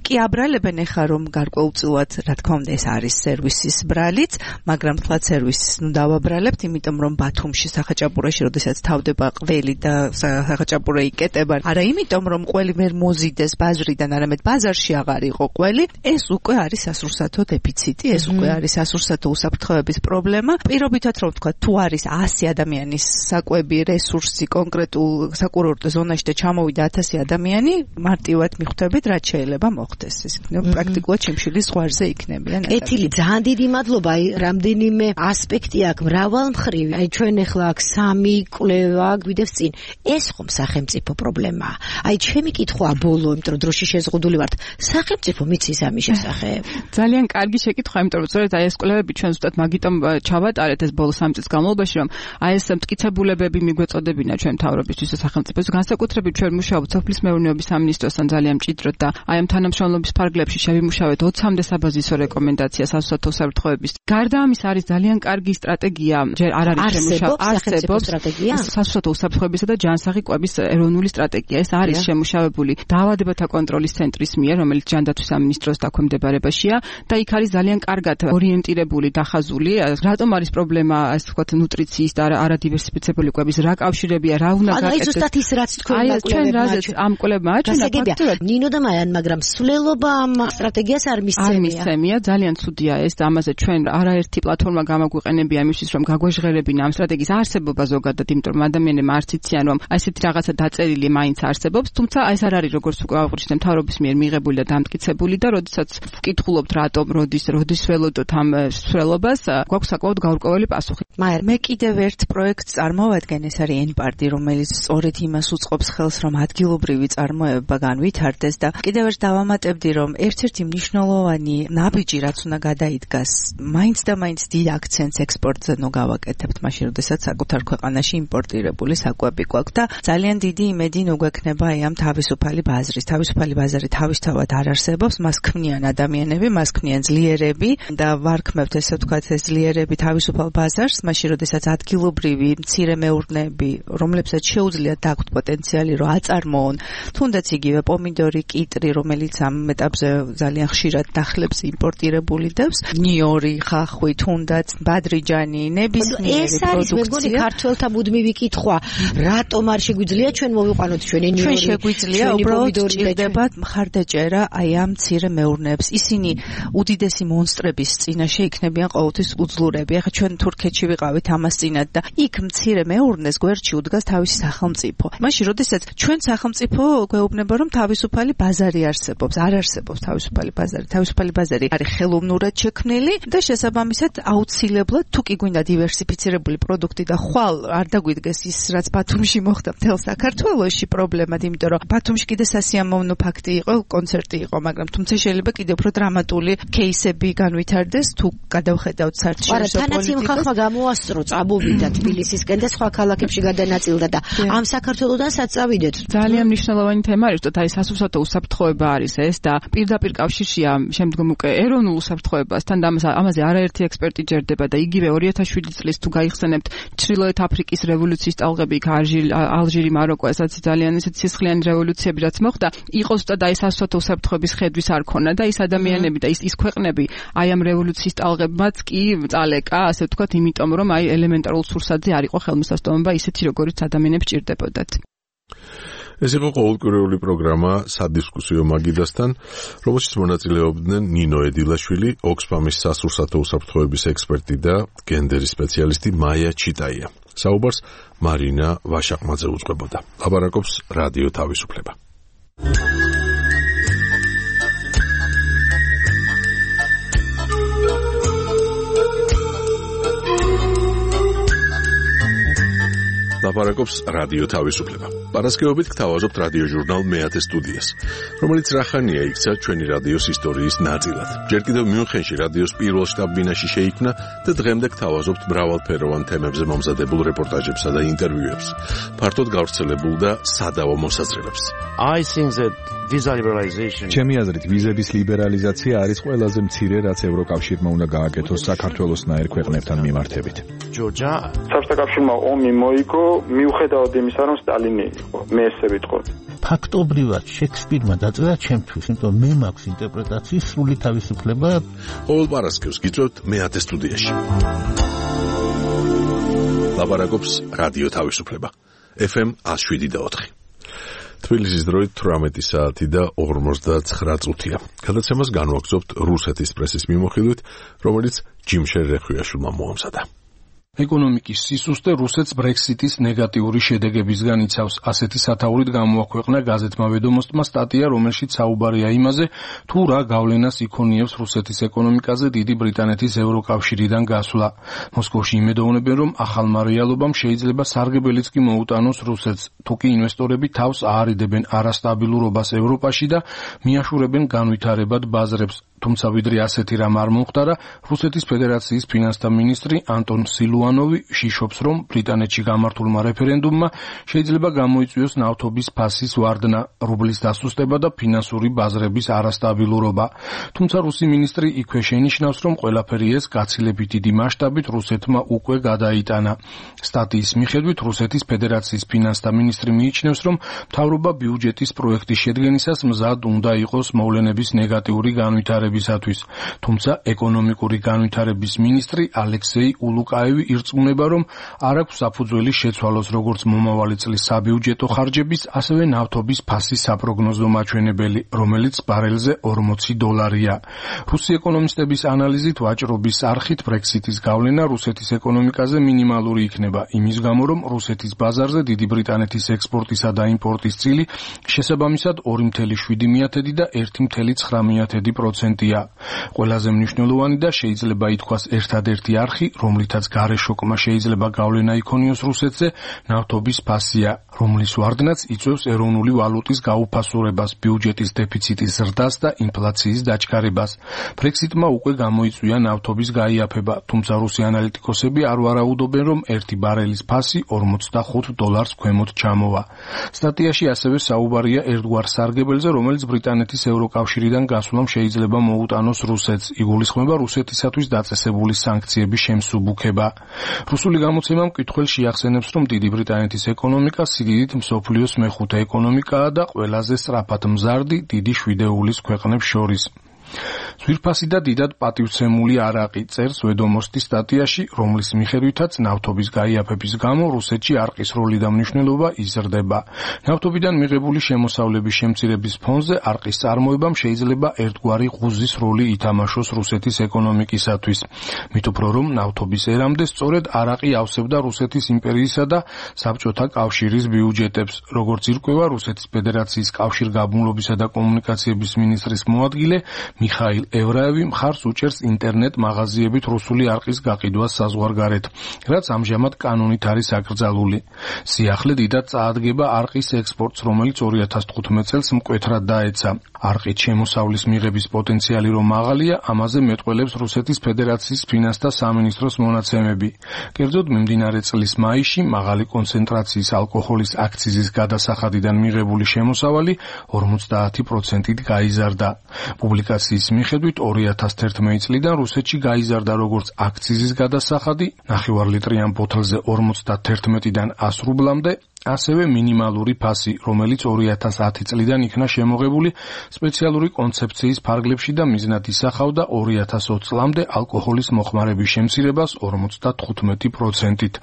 კი აბრალებენ ეხა რომ გარკვეულწილად, რა თქმა უნდა, ეს არის სერვისის ბრალიც, მაგრამ თლად სერვისს ნუ დავაბრალებთ, იმიტომ რომ ბათუმში სახაჭაპურაში, როდესაც თავდება ყველი და სახაჭაპურა იკეტება, არა იმიტომ რომ ყველი ვერ მოზიდეს ბაზრიდან, არამედ ბაზარში აღარ იყო ყველი, ეს უკვე არის სასურსათო დეფიციტი, ეს უკვე არის სასურსათო უსაფრთხოების პრობლემა. პირობითად რომ ვთქვა, თუ არის 100 ადამიანის საკვები რესურსი კონკრეტულ საკურორტო ზონაში და ჩამოვიდა 1000 ადამიანი, მარტივად მიხვდებით, რაც შეიძლება მოხდეს. ეს პრაქტიკულად ჩიმშილის ზღვარზე იქნებიან. კეთილი, ძალიან დიდი მადლობა. აი, რამდენიმე ასპექტი აქვს, მრავალმხრივი. აი, ჩვენ ახლა აქ 3 კვლევა გვიდევს წინ. ეს ხომ სახელმწიფო პრობლემაა. აი, ჩემი კითხვა ბოლო, იმიტომ რომ დროში შეზღუდული ვართ. სახელმწიფო მიცის ამის შესახებ? ძალიან კარგი შეკითხვა, იმიტომ რომ სწორედ აი ეს კვლევები ჩვენ ზუსტად მაგიტომ ჩავატარეთ ეს ბოლო 3 წლის განმავლობაში, რომ აი ეს მტკიცებულებები მიგვეწოდებინა ჩვენ მთავრობისთვის და სახელმწიფოს. განსაკუთრებით ჩვენ მუშაობთ სოფლის მეურნეობის სამინისტროსთან ძალიან მჭიდროდ და აი ამ თანამშრომლობის ფარგლებში შევიმუშავეთ 20-მდე საბაზისო რეკომენდაცია სასურსათო უსაფრთხოების. გარდა ამის არის ძალიან კარგი სტრატეგია, ჯერ არ არის შემუშავებული, არსებობს სტრატეგია სასურსათო უსაფრთხოებისა და ჯანსაღი კვების ეროვნული სტრატეგია. ეს არის შემუშავებული დაავადებათა კონტროლის ცენტრის მიერ, რომელიც ჯანდაცვის სამინისტროს დაქვემდებარებაშია და იქ არის ძალიან კარგად ორიენტირებული, დახაზული, რატომ არის პრობლემა, ასე ვთქვათ, ნუტრიციის და არადივერსიფიცირებული კვების, რა კავშირებია, რა უნდა გაკეთდეს. აი ზუსტად ის რაც თქვენ ამ კვლევებმა აჩვენა ფაქტობრივად. ნინო და მაიან, მაგრამ სულელობა ამ სტრატეგიას არ მისცემია, ძალიან ცუდია ეს და ამაზე ჩვენ არაერთი პლატფორმა გამოგვიყენებია იმისთვის, რომ გაგვეჟღერებინა ამ სტრატეგიის არსებობა ზოგადად, იმიტომ რომ ადამიანებმა არც იციან, რომ ესეთი რაღაცა დაწერილი მაინც არსებობს, თუმცა ეს არ არის როგორც უკვე აღნიშნე მთავრობის მიერ მიღებული და დამტკიცებული და როდესაც ვკითხულობთ რატომ, როდის ველოდოთ ამ სრულობას, გვაქვს საკმაოდ გაურკვეველი პასუხი. მაგრამ მე კიდევ ერთ პროექტს წარმოვადგენ, ეს არის N-პარტი, რომელიც სწორედ იმას უწყობს ხელს, რომ ადგილობრივი წარმოება განვითარდეს და კიდევ ერთ დავამატებდი, რომ ერთ-ერთი მნიშვნელოვანი ნაბიჯი, რაც უნდა გადაიდგას, მაინც და მაინც დიდ აქცენტს ექსპორტზე ნუ გავაკეთებთ, მაშინ როდესაც საკუთარ ქვეყანაში იმპორტირებული საკვები გვაქვს და ძალიან დიდი იმედი ნუ გვექნება აი ამ თავისუფალი ბაზრის. თავისუფალი ბაზარი თავისთავად არ არსებობს, მას ქმნიან ადამიანები, მას ქმნიან ძლიერები და ვარქმევთ ესე ვთქვათ ეს ძლიერები თავისუფალ ბაზარს, მაშინ როდესაც ადგილობრივი მცირე მეურნეები, რომლებსაც შეუძლიათ დაგვთ პოტენციალი, რომ აწარმოონ, თუნდაც იგივე პომიდორი, კიტრი, რომელიც ამ ეტაპზე ძალიან ხშირად დახლებს იმპორტირებული დევს, ნიორი, ხახვი, თუნდაც ბადრიჯანი, ნებისმიერი პროდუქცია. ეს არის მეგონი ქართველთა მუდმივი კითხვა, რატომ არ შეგვიძლია ჩვენ მოვიყვანოთ ჩვენი ნიორი? ჩვენ შეგვიძლია, უბრალოდ ჭირდება მხარდაჭერა აი ამ მცირე მეურნეებს. ისინი უდიდესი მონსტრების წინაშე იქნებიან ყოველთვის უძლურები. ახლა ჩვენ თურქეთში ვიყავით ამას წინათ და იქ მცირე მეურნეს გვერდში უდგას თავისი სახელმწიფო. მაშინ როდესაც ჩვენ სახელმწიფო გვეუბნება, რომ თავისუფალი ბაზარი არსებობს, არ არსებობს თავისუფალი ბაზარი. თავისუფალი ბაზარი არის ხელოვნურად შექმნილი და შესაბამისად აუცილებლად თუ კი გვინდა დივერსიფიცირებული პროდუქტი და ხვალ არ დაგვიდგეს ის, რაც ბათუმში მოხდა მთელ საქართველოში პრობლემად, იმიტომ რომ ბათუმში კიდე სასიამოვნო ფაქტი იყო, კონცერტი იყო, მაგრამ თუმცა შეიძლება კიდევ უფრო დრამატული кейსები განვითარდეს თუ გადავხედავთ საერთაშორისო პოლიტიკას. თანაც იმ ხალხმა გამოასწრო, წამოვიდა თბილისისკენ და სხვა ქალაქებში გადანაწილდა და ამ საქართველოდან საწავიდეთ. ძალიან მნიშვნელოვანი თემა არის, თორე აი სასურსათო უსაფრთხოება არის ეს და პირდაპირ კავშირშია შემდგომ უკვე ეროვნულ უსაფრთხოებასთან და ამაზე არაერთი ექსპერტი ჯერდება და იგივე 2007 წლის თუ გაიხსენებთ ჩრდილოეთ აფრიკის რევოლუციის ტალღები, ალჟირი, მაროკო, ესაც ძალიან ისეთი სისხლიანი რევოლუციები რაც მოხდა, იყო ზუსტად აი სასურსათო უსაფრთხოების ხედვის არ ქონა და ის ადამიანები და ის ქვეყნები აი ამ რევოლუციის ტალღებმაც კი წალეკა, ასე ვთქვათ, იმიტომ რომ აი ელემენტარულ სურსათზე არ იყო ხელმისაწვდომობა ისეთი როგორიც ადამიანებს ჭირდებოდათ. ეს იყო ყოველკვირეული პროგრამა სადისკუსიო მაგიდასთან, რომელშიც მონაწილეობდნენ ნინო ედილაშვილი, ოქსფამის სასურსათო უსაფრთხოების ექსპერტი და გენდერის სპეციალისტი მაია ჩიტაია. საუბარს მარინა ვაშაყმაძე უძღვებოდა. ლაპარაკობს რადიო თავისუფლება. ლაპარაკობს რადიო თავისუფლება. პარასკევობით გთავაზობთ რადიო ჟურნალ მეათე სტუდიას, რომელიც რახანია იქცა ჩვენი რადიოს ისტორიის ნაწილად. ჯერ კიდევ მიუნხენში რადიოს პირველ შტაბ-ბინაში შეიქმნა და დღემდე გთავაზობთ მრავალფეროვან თემებზე მომზადებულ რეპორტაჟებსა და ინტერვიუებს, ფართოდ გავრცელებულ და სადავო მოსაზრებებს. ჩემი აზრით, ვიზების ლიბერალიზაცია არის ყველაზე მცირე, რაც ევროკავშირმა უნდა გააკეთოს საქართველოსნაირ ქვეყნებთან მიმართებით. საბჭოთა კავშირმა ომი მოიგო, მიუხედავად იმისა, რომ სტალინი იყო, მე ესე ვიტყოდი. ფაქტობრივად შექსპირმა დაწერა ჩემთვის, იმიტომ მე მაქვს ინტერპრეტაციის სრული თავისუფლება. ყოველ პარასკევს გიწევთ მეათე სტუდიაში. ლაპარაკობს რადიო თავისუფლება. FM 107.4. თბილისის დროით 18 საათი და 59 წუთია. გადაცემას განვაგრძობთ რუსეთის პრესის მიმოხილვით, რომელიც ჯიმშერ რეხვიაშვილმა მოამზადა. ეკონომიკის სისუსტე რუსეთს ბრექსიტის ნეგატიური შედეგებისგან იცავს. ასეთი სათაურით გამოაქვეყნა გაზეთმა ვედომოსტმა სტატია, რომელშიც საუბარია იმაზე, თუ რა გავლენას იქონიებს რუსეთის ეკონომიკაზე დიდი ბრიტანეთის ევროკავშირიდან გასვლა. მოსკოვში იმედოვნებენ, რომ ახალმა რეალობამ შეიძლება სარგებელიც კი მოუტანოს რუსეთს, თუ კი ინვესტორები თავს აარიდებენ არასტაბილურობას ევროპაში და მიაშურებენ განვითარებად ბაზრებს. თუმცა ვიდრე ასეთი რამ არ მომხდარა, რუსეთის ფედერაციის ფინანსთა მინისტრი ანტონ სილუანოვი შიშობს, რომ ბრიტანეთში გამართულმა რეფერენდუმმა შეიძლება გამოიწვიოს ნავთობის ფასის ვარდნა, რუბლის დასუსტება და ფინანსური ბაზრების არასტაბილურობა. თუმცა რუსი მინისტრი იქვე შენიშნავს, რომ ყველაფერი ეს გაცილებით დიდი მასშტაბით რუსეთმა უკვე გადაიტანა. სტატიის მიხედვით რუსეთის ფედერაციის ფინანსთა მინისტრი მიიჩნევს, რომ მთავრობა ბიუჯეტის პროექტის შედგენისას მზად უნდა იყოს მოვლენების ნეგატიური განვითარება. თუმცა ეკონომიკური განვითარების მინისტრი ალექსეი ულუკაევი ირწმუნება, რომ არ აქვს საფუძველი შეცვალოს როგორც მომავალი წლის საბიუჯეტო ხარჯების, ასევე ნავთობის ფასის საპროგნოზო მაჩვენებელი, რომელიც ბარელზე $40. რუსი ეკონომისტების ანალიზით ვაჭრობის არხით ბრექსიტის გავლენა რუსეთის ეკონომიკაზე მინიმალური იქნება, იმის გამო, რომ რუსეთის ბაზარზე დიდი ბრიტანეთის ექსპორტისა და იმპორტის წილი შესაბამისად 2,7 და 1,9%. ყველაზე მნიშვნელოვანი და შეიძლება ითქვას ერთადერთი არხი, რომლითაც გარეშოკმა შეიძლება გავლენა იქონიოს რუსეთზე, ნავთობის ფასია, რომლის ვარდნაც იწვევს ეროვნული ვალუტის გაუფასურებას, ბიუჯეტის დეფიციტის ზრდას და ინფლაციის დაჩქარებას. ბრექსიტმა უკვე გამოიწვია ნავთობის გაიაფება, თუმცა რუსი ანალიტიკოსები არ ვარაუდობენ, რომ ერთი ბარელის ფასი $45 ქვემოთ ჩამოვა. სტატიაში ასევე საუბარია ერთგვარ სარგებელზე, რომელიც ბრიტანეთის ევროკავშირიდან გასვლამ შეიძლება მოუტანოს რუსეთს. იგულისხმება რუსეთისათვის დაწესებული სანქციების შემსუბუქება. რუსული გამოცემა მკითხველს შეახსენებს, რომ დიდი ბრიტანეთის ეკონომიკა სიდიდით მსოფლიოს მეხუთე ეკონომიკაა და ყველაზე სწრაფად მზარდი დიდი შვიდეულის ქვეყნებს შორის. ძვირფასი და დიდად პატივცემული არაყი წერს ვედომოსტის სტატიაში, რომლის მიხედვითაც ნავთობის გაიაფების გამო რუსეთში არყის როლი და მნიშვნელობა იზრდება. ნავთობიდან მიღებული შემოსავლების შემცირების ფონზე არყის წარმოებამ შეიძლება ერთგვარი ღუზის როლი ითამაშოს რუსეთის ეკონომიკისათვის. მით უფრო რომ ნავთობის ერამდე სწორედ არაყი ავსებდა რუსეთის იმპერიისა და საბჭოთა კავშირის ბიუჯეტებს. როგორც ირკვევა რუსეთის ფედერაციის კავშირგაბმულობისა და კომუნიკაციების მინისტრის მოადგილე მიხაილ ევრაევი მხარს უჭერს ინტერნეტ მაღაზიებით რუსული არყის გაყიდვას საზღვარგარეთ, რაც ამჟამად კანონით არის აკრძალული. სიახლე დიდად წაადგება არყის ექსპორტს, რომელიც 2015 წელს მკვეთრად დაეცა. არყით შემოსავლის მიღების პოტენციალი რომ მაღალია, ამაზე მეტყველებს რუსეთის ფედერაციის ფინანსთა სამინისტროს მონაცემები. კერძოდ მიმდინარე წლის მაისში მაღალი კონცენტრაციის ალკოჰოლის აქციზის გადასახადიდან მიღებული შემოსავალი 50%-ით გაიზარდა. პუბლიკაციის მიხედვით 2011 წლიდან რუსეთში გაიზარდა როგორც აქციზის გადასახადი, ნახევარლიტრიან ბოთლზე 51-დან 100 რუბლამდე, ასევე მინიმალური ფასი, რომელიც 2010 წლიდან იქნა შემოღებული სპეციალური კონცეფციის ფარგლებში და მიზნად ისახავდა 2020 წლამდე ალკოჰოლის მოხმარების შემცირებას 55%-ით.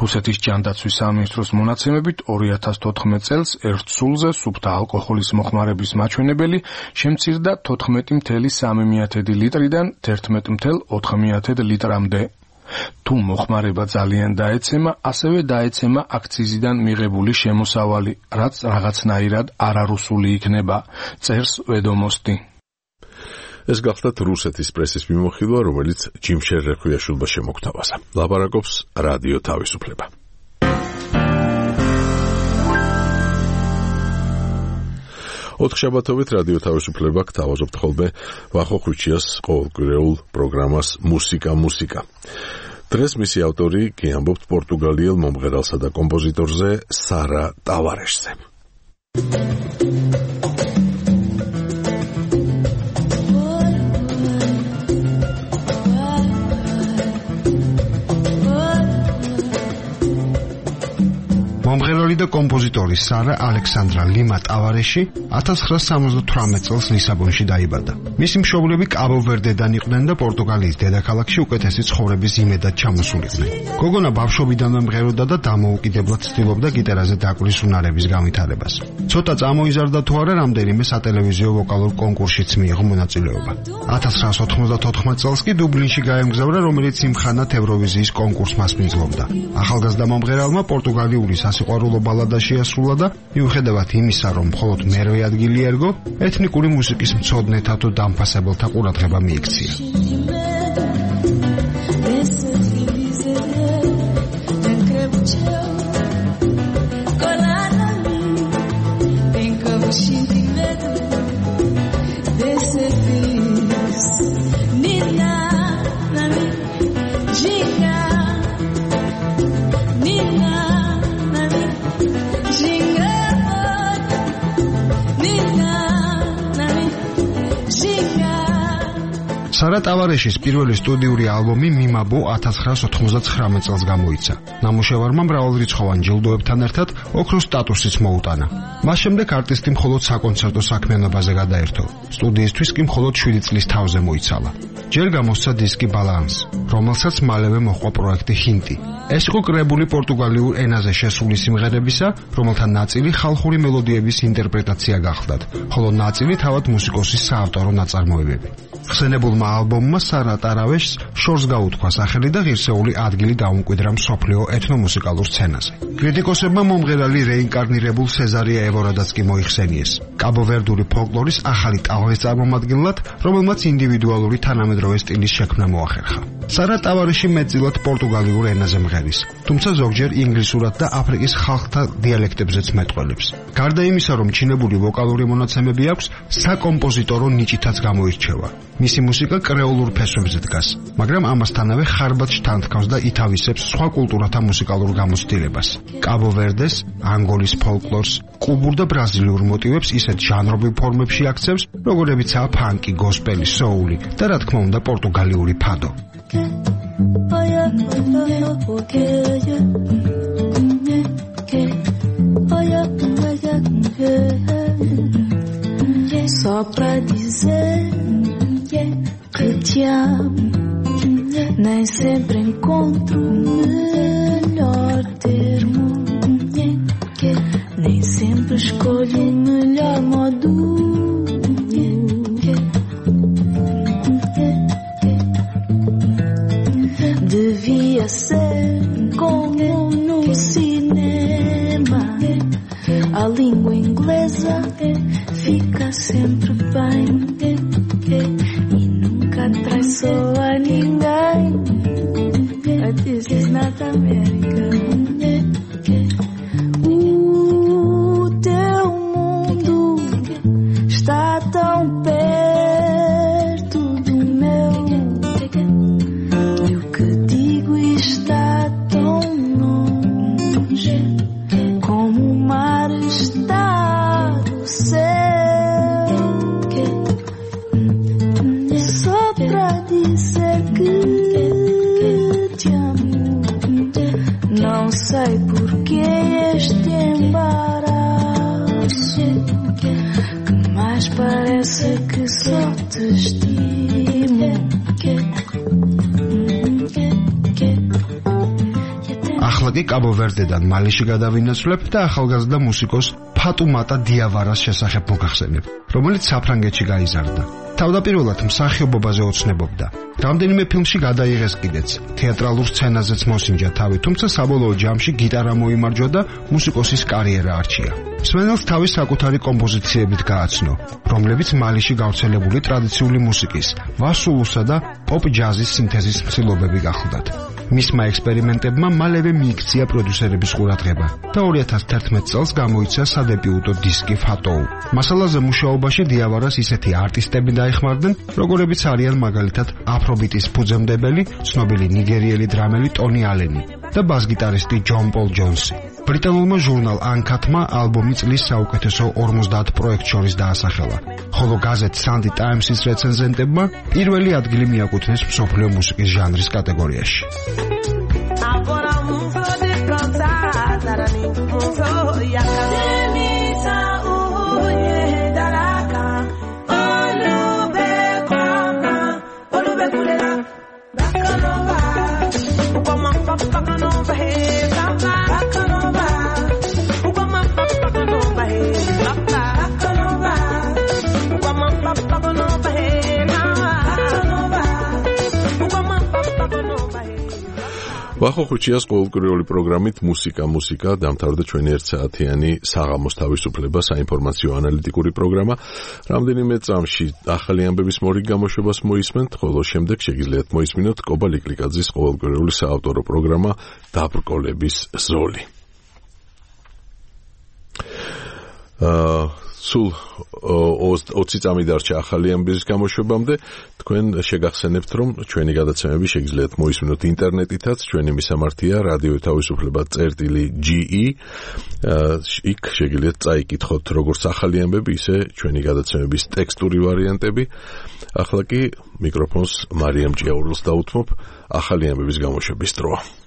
რუსეთის ჯანდაცვის სამინისტროს მონაცემებით 2014 წელს ერთ სულზე სუფთა ალკოჰოლის მოხმარების მაჩვენებელი შემცირდა 14,3 ლიტრიდან 11,4 ლიტრამდე. თუ მოხმარება ძალიან დაეცემა, ასევე დაეცემა აქციზიდან მიღებული შემოსავალი, რაც რაღაცნაირად არარუსული იქნება, წერს ვედომოსტი. ეს გახლდათ რუსეთის პრესის მიმოხილვა, რომელიც ჯიმშერ რეხვიაშვილმა შემოგთავაზა. ლაპარაკობს რადიო თავისუფლება. ოთხშაბათობით რადიო თავისუფლება გთავაზობთ ხოლმე ვახო ხვიჩიას ყოველკვირეულ პროგრამას მუსიკა. დღეს მისი ავტორი გიამბობთ პორტუგალიელ მომღერალსა და კომპოზიტორზე სარა ტავარეშზე. მომღერალი და კომპოზიტორი სარა ალექსანდრა ლიმა ტავარეში 1978 წელს ლისაბონში დაიბადა. მისი მშობლები კაბო-ვერდედან იყვნენ და პორტუგალიის დედაქალაქში უკეთესი ცხოვრების იმედად ჩამოსულიყვნენ. გოგონა ბავშვობიდანვე მღეროდა და დამოუკიდებლად ცდილობდა გიტარაზე დაკვრის უნარების განვითარებას. ცოტა წამოიზარდა თუ არა, რამდენიმე სატელევიზიო ვოკალურ კონკურსშიც მიიღო მონაწილეობა. 1994 წელს კი დუბლინში გაემგზავრა, რომელიც იმხანად ევროვიზიის კონკურსს მასპინძლობდა. ახალგაზრდა მომღერალმა პორტუგალიური სიყვარულო ბალადა შეასრულა და მიუხედავად იმისა, რომ მხოლოდ მერვე ადგილი ერგო, ეთნიკური მუსიკის მცოდნეთა თუ დამფასებელთა ყურადღება მიიქცია. სარა ტავარეშის პირველი სტუდიური ალბომი მიმაბო 1999 წელს გამოიცა. ნამუშევარმა მრავალრიცხოვან ჯილდოებთან ერთად ოქროს სტატუსიც მოუტანა. მას შემდეგ არტისტი მხოლოდ საკონცერტო საქმიანობაზე გადაერთო. სტუდიისთვის კი მხოლოდ 7 წლის თავზე მოიცალა. ჯერ გამოსცა დისკი ბალანს, რომელსაც მალევე მოჰყვა პროექტი ჰინტი. ეს იყო კრებული პორტუგალიურ ენაზე შესული სიმღერებისა, რომელთა ნაწილი ხალხური მელოდიების ინტერპრეტაცია გახლდათ, ხოლო ნაწილი თავად მუსიკოსის საავტორო ნაწარმოებები. ხსენებულმა ალბომმა სარა ტავარეშს შორს გაუთქვა სახელი და ღირსეული ადგილი დაუმკვიდრა მსოფლიო ეთნომუსიკალურ სცენაზე. კრიტიკოსებმა მომღერალი რეინკარნირებულ სეზარია ევორადაც კი მოიხსენიეს. კაბო-ვერდული ფოლკლორის ახალი ტალღის წარმომადგენლად, რომელმაც ინდივიდუალური თანამედროვე სტილის შექმნა მოახერხა. სარა ტავარეში მეტწილად პორტუგალიურ ენაზე მღერის, თუმცა ზოგჯერ ინგლისურად და აფრიკის ხალხთა დიალექტებზეც მეტყველებს. გარდა იმისა, რომ ჩინებული ვოკალური მონაცემები აქვს, საკომპოზიტორო ნიჭითაც გამოირჩევა. მისი მუსიკა კრეოლურ ფესვებზე დგას, მაგრამ ამასთანავე ხარბად შთანთქავს და ითავისებს სხვა კულტურათა მუსიკალურ გამოცდილებას. კაბო-ვერდეს, ანგოლის ფოლკლორს, კუბურ და ბრაზილიურ მოტივებს ისეთ ჟანრობრივ ფორმებში აქცევს, როგორებიცაა ფანკი, გოსპელი, სოული და რა თქმა უნდა პორტუგალიური ფადო. Só pra dizer que te amo, nem sempre encontro o melhor termo, nem sempre escolho o melhor modo. Devia ser como no cinema, a língua inglesa fica sempre bem e nunca traiçoa ninguém. But this is not America. O teu mundo está tão perto do meu, e o que digo está tão longe, como o mar está do céu. Só pra dizer que te amo, não sei porque este embaraço, que mais parece que só te estimo. ახლა კი კაბო-ვერდედან მალეში გადავინაცვლებ და ახალგაზრდა მუსიკოს ფატუმატა დიავარას შესახებ მოგახსენებ, რომელიც საფრანგეთში გაიზარდა. თავდაპირველად მსახიობობაზე ოცნებობდა. რამდენიმე ფილმში გადაიღეს კიდეც, თეატრალურ სცენაზეც მოსინჯა თავი, თუმცა საბოლოო ჯამში გიტარა მოიმარჯვა და მუსიკოსის კარიერა არჩია. მსმენელს თავის საკუთარი კომპოზიციებით გააცნო, რომლებიც მალეში გავრცელებული ტრადიციული მუსიკის, ვასულუსა და პოპ ჯაზის სინთეზის მსილობები გახლდათ. მისმა ექსპერიმენტებმა მალევე მიიქცია პროდიუსერების ყურადღება და 2011 წელს გამოიცა სადებიუტო დისკი Fatou. მასალაზე მუშაობაში დიავარას ისეთი არტისტები დაეხმარდნენ, როგორებიც არიან მაგალითად აფრობიტის ფუძემდებელი, ცნობილი ნიგერიელი დრამერი ტონი ალენი და ბას-გიტარისტი ჯონ პოლ ჯონსი. ბრიტანულმა ჟურნალ Uncut-მა ალბომი წლის საუკეთესო 50 პროექტ შორის დაასახელა, ხოლო გაზეთ Sunday Times-ის რეცენზენტებმა პირველი ადგილი მიაკუთვნეს მსოფლიო მუსიკის ჟანრის კატეგორიაში. ვახო ხუჩიას ყოველკვირეული პროგრამით მუსიკა დამთავრდა ჩვენი 1 საათიანი საღამოს თავისუფლება საინფორმაციო ანალიტიკური პროგრამა. რამდენიმე წამში ახალი ამბების მორიგ გამოშვებას მოისმენთ, ხოლო შემდეგ შეგიძლიათ მოისმინოთ კობა ლიკლიკაძის ყოველკვირეული საავტორო პროგრამა დაბრკოლების ზოლი. სულ 20 წამი დარჩა ახალი ამბების გამოშვებამდე. თქვენ შეგახსენებთ, რომ ჩვენი გადაცემები შეგიძლიათ მოისმინოთ ინტერნეტითაც. ჩვენი მისამართია რადიო თავისუფლება.ge. იქ შეგიძლიათ წაიკითხოთ როგორც ახალი ამბები, ისე ჩვენი გადაცემების ტექსტური ვარიანტები. ახლა კი მიკროფონს მარიამ ჭიაურელს დაუთმობ ახალი ამბების გამოშვების დროა.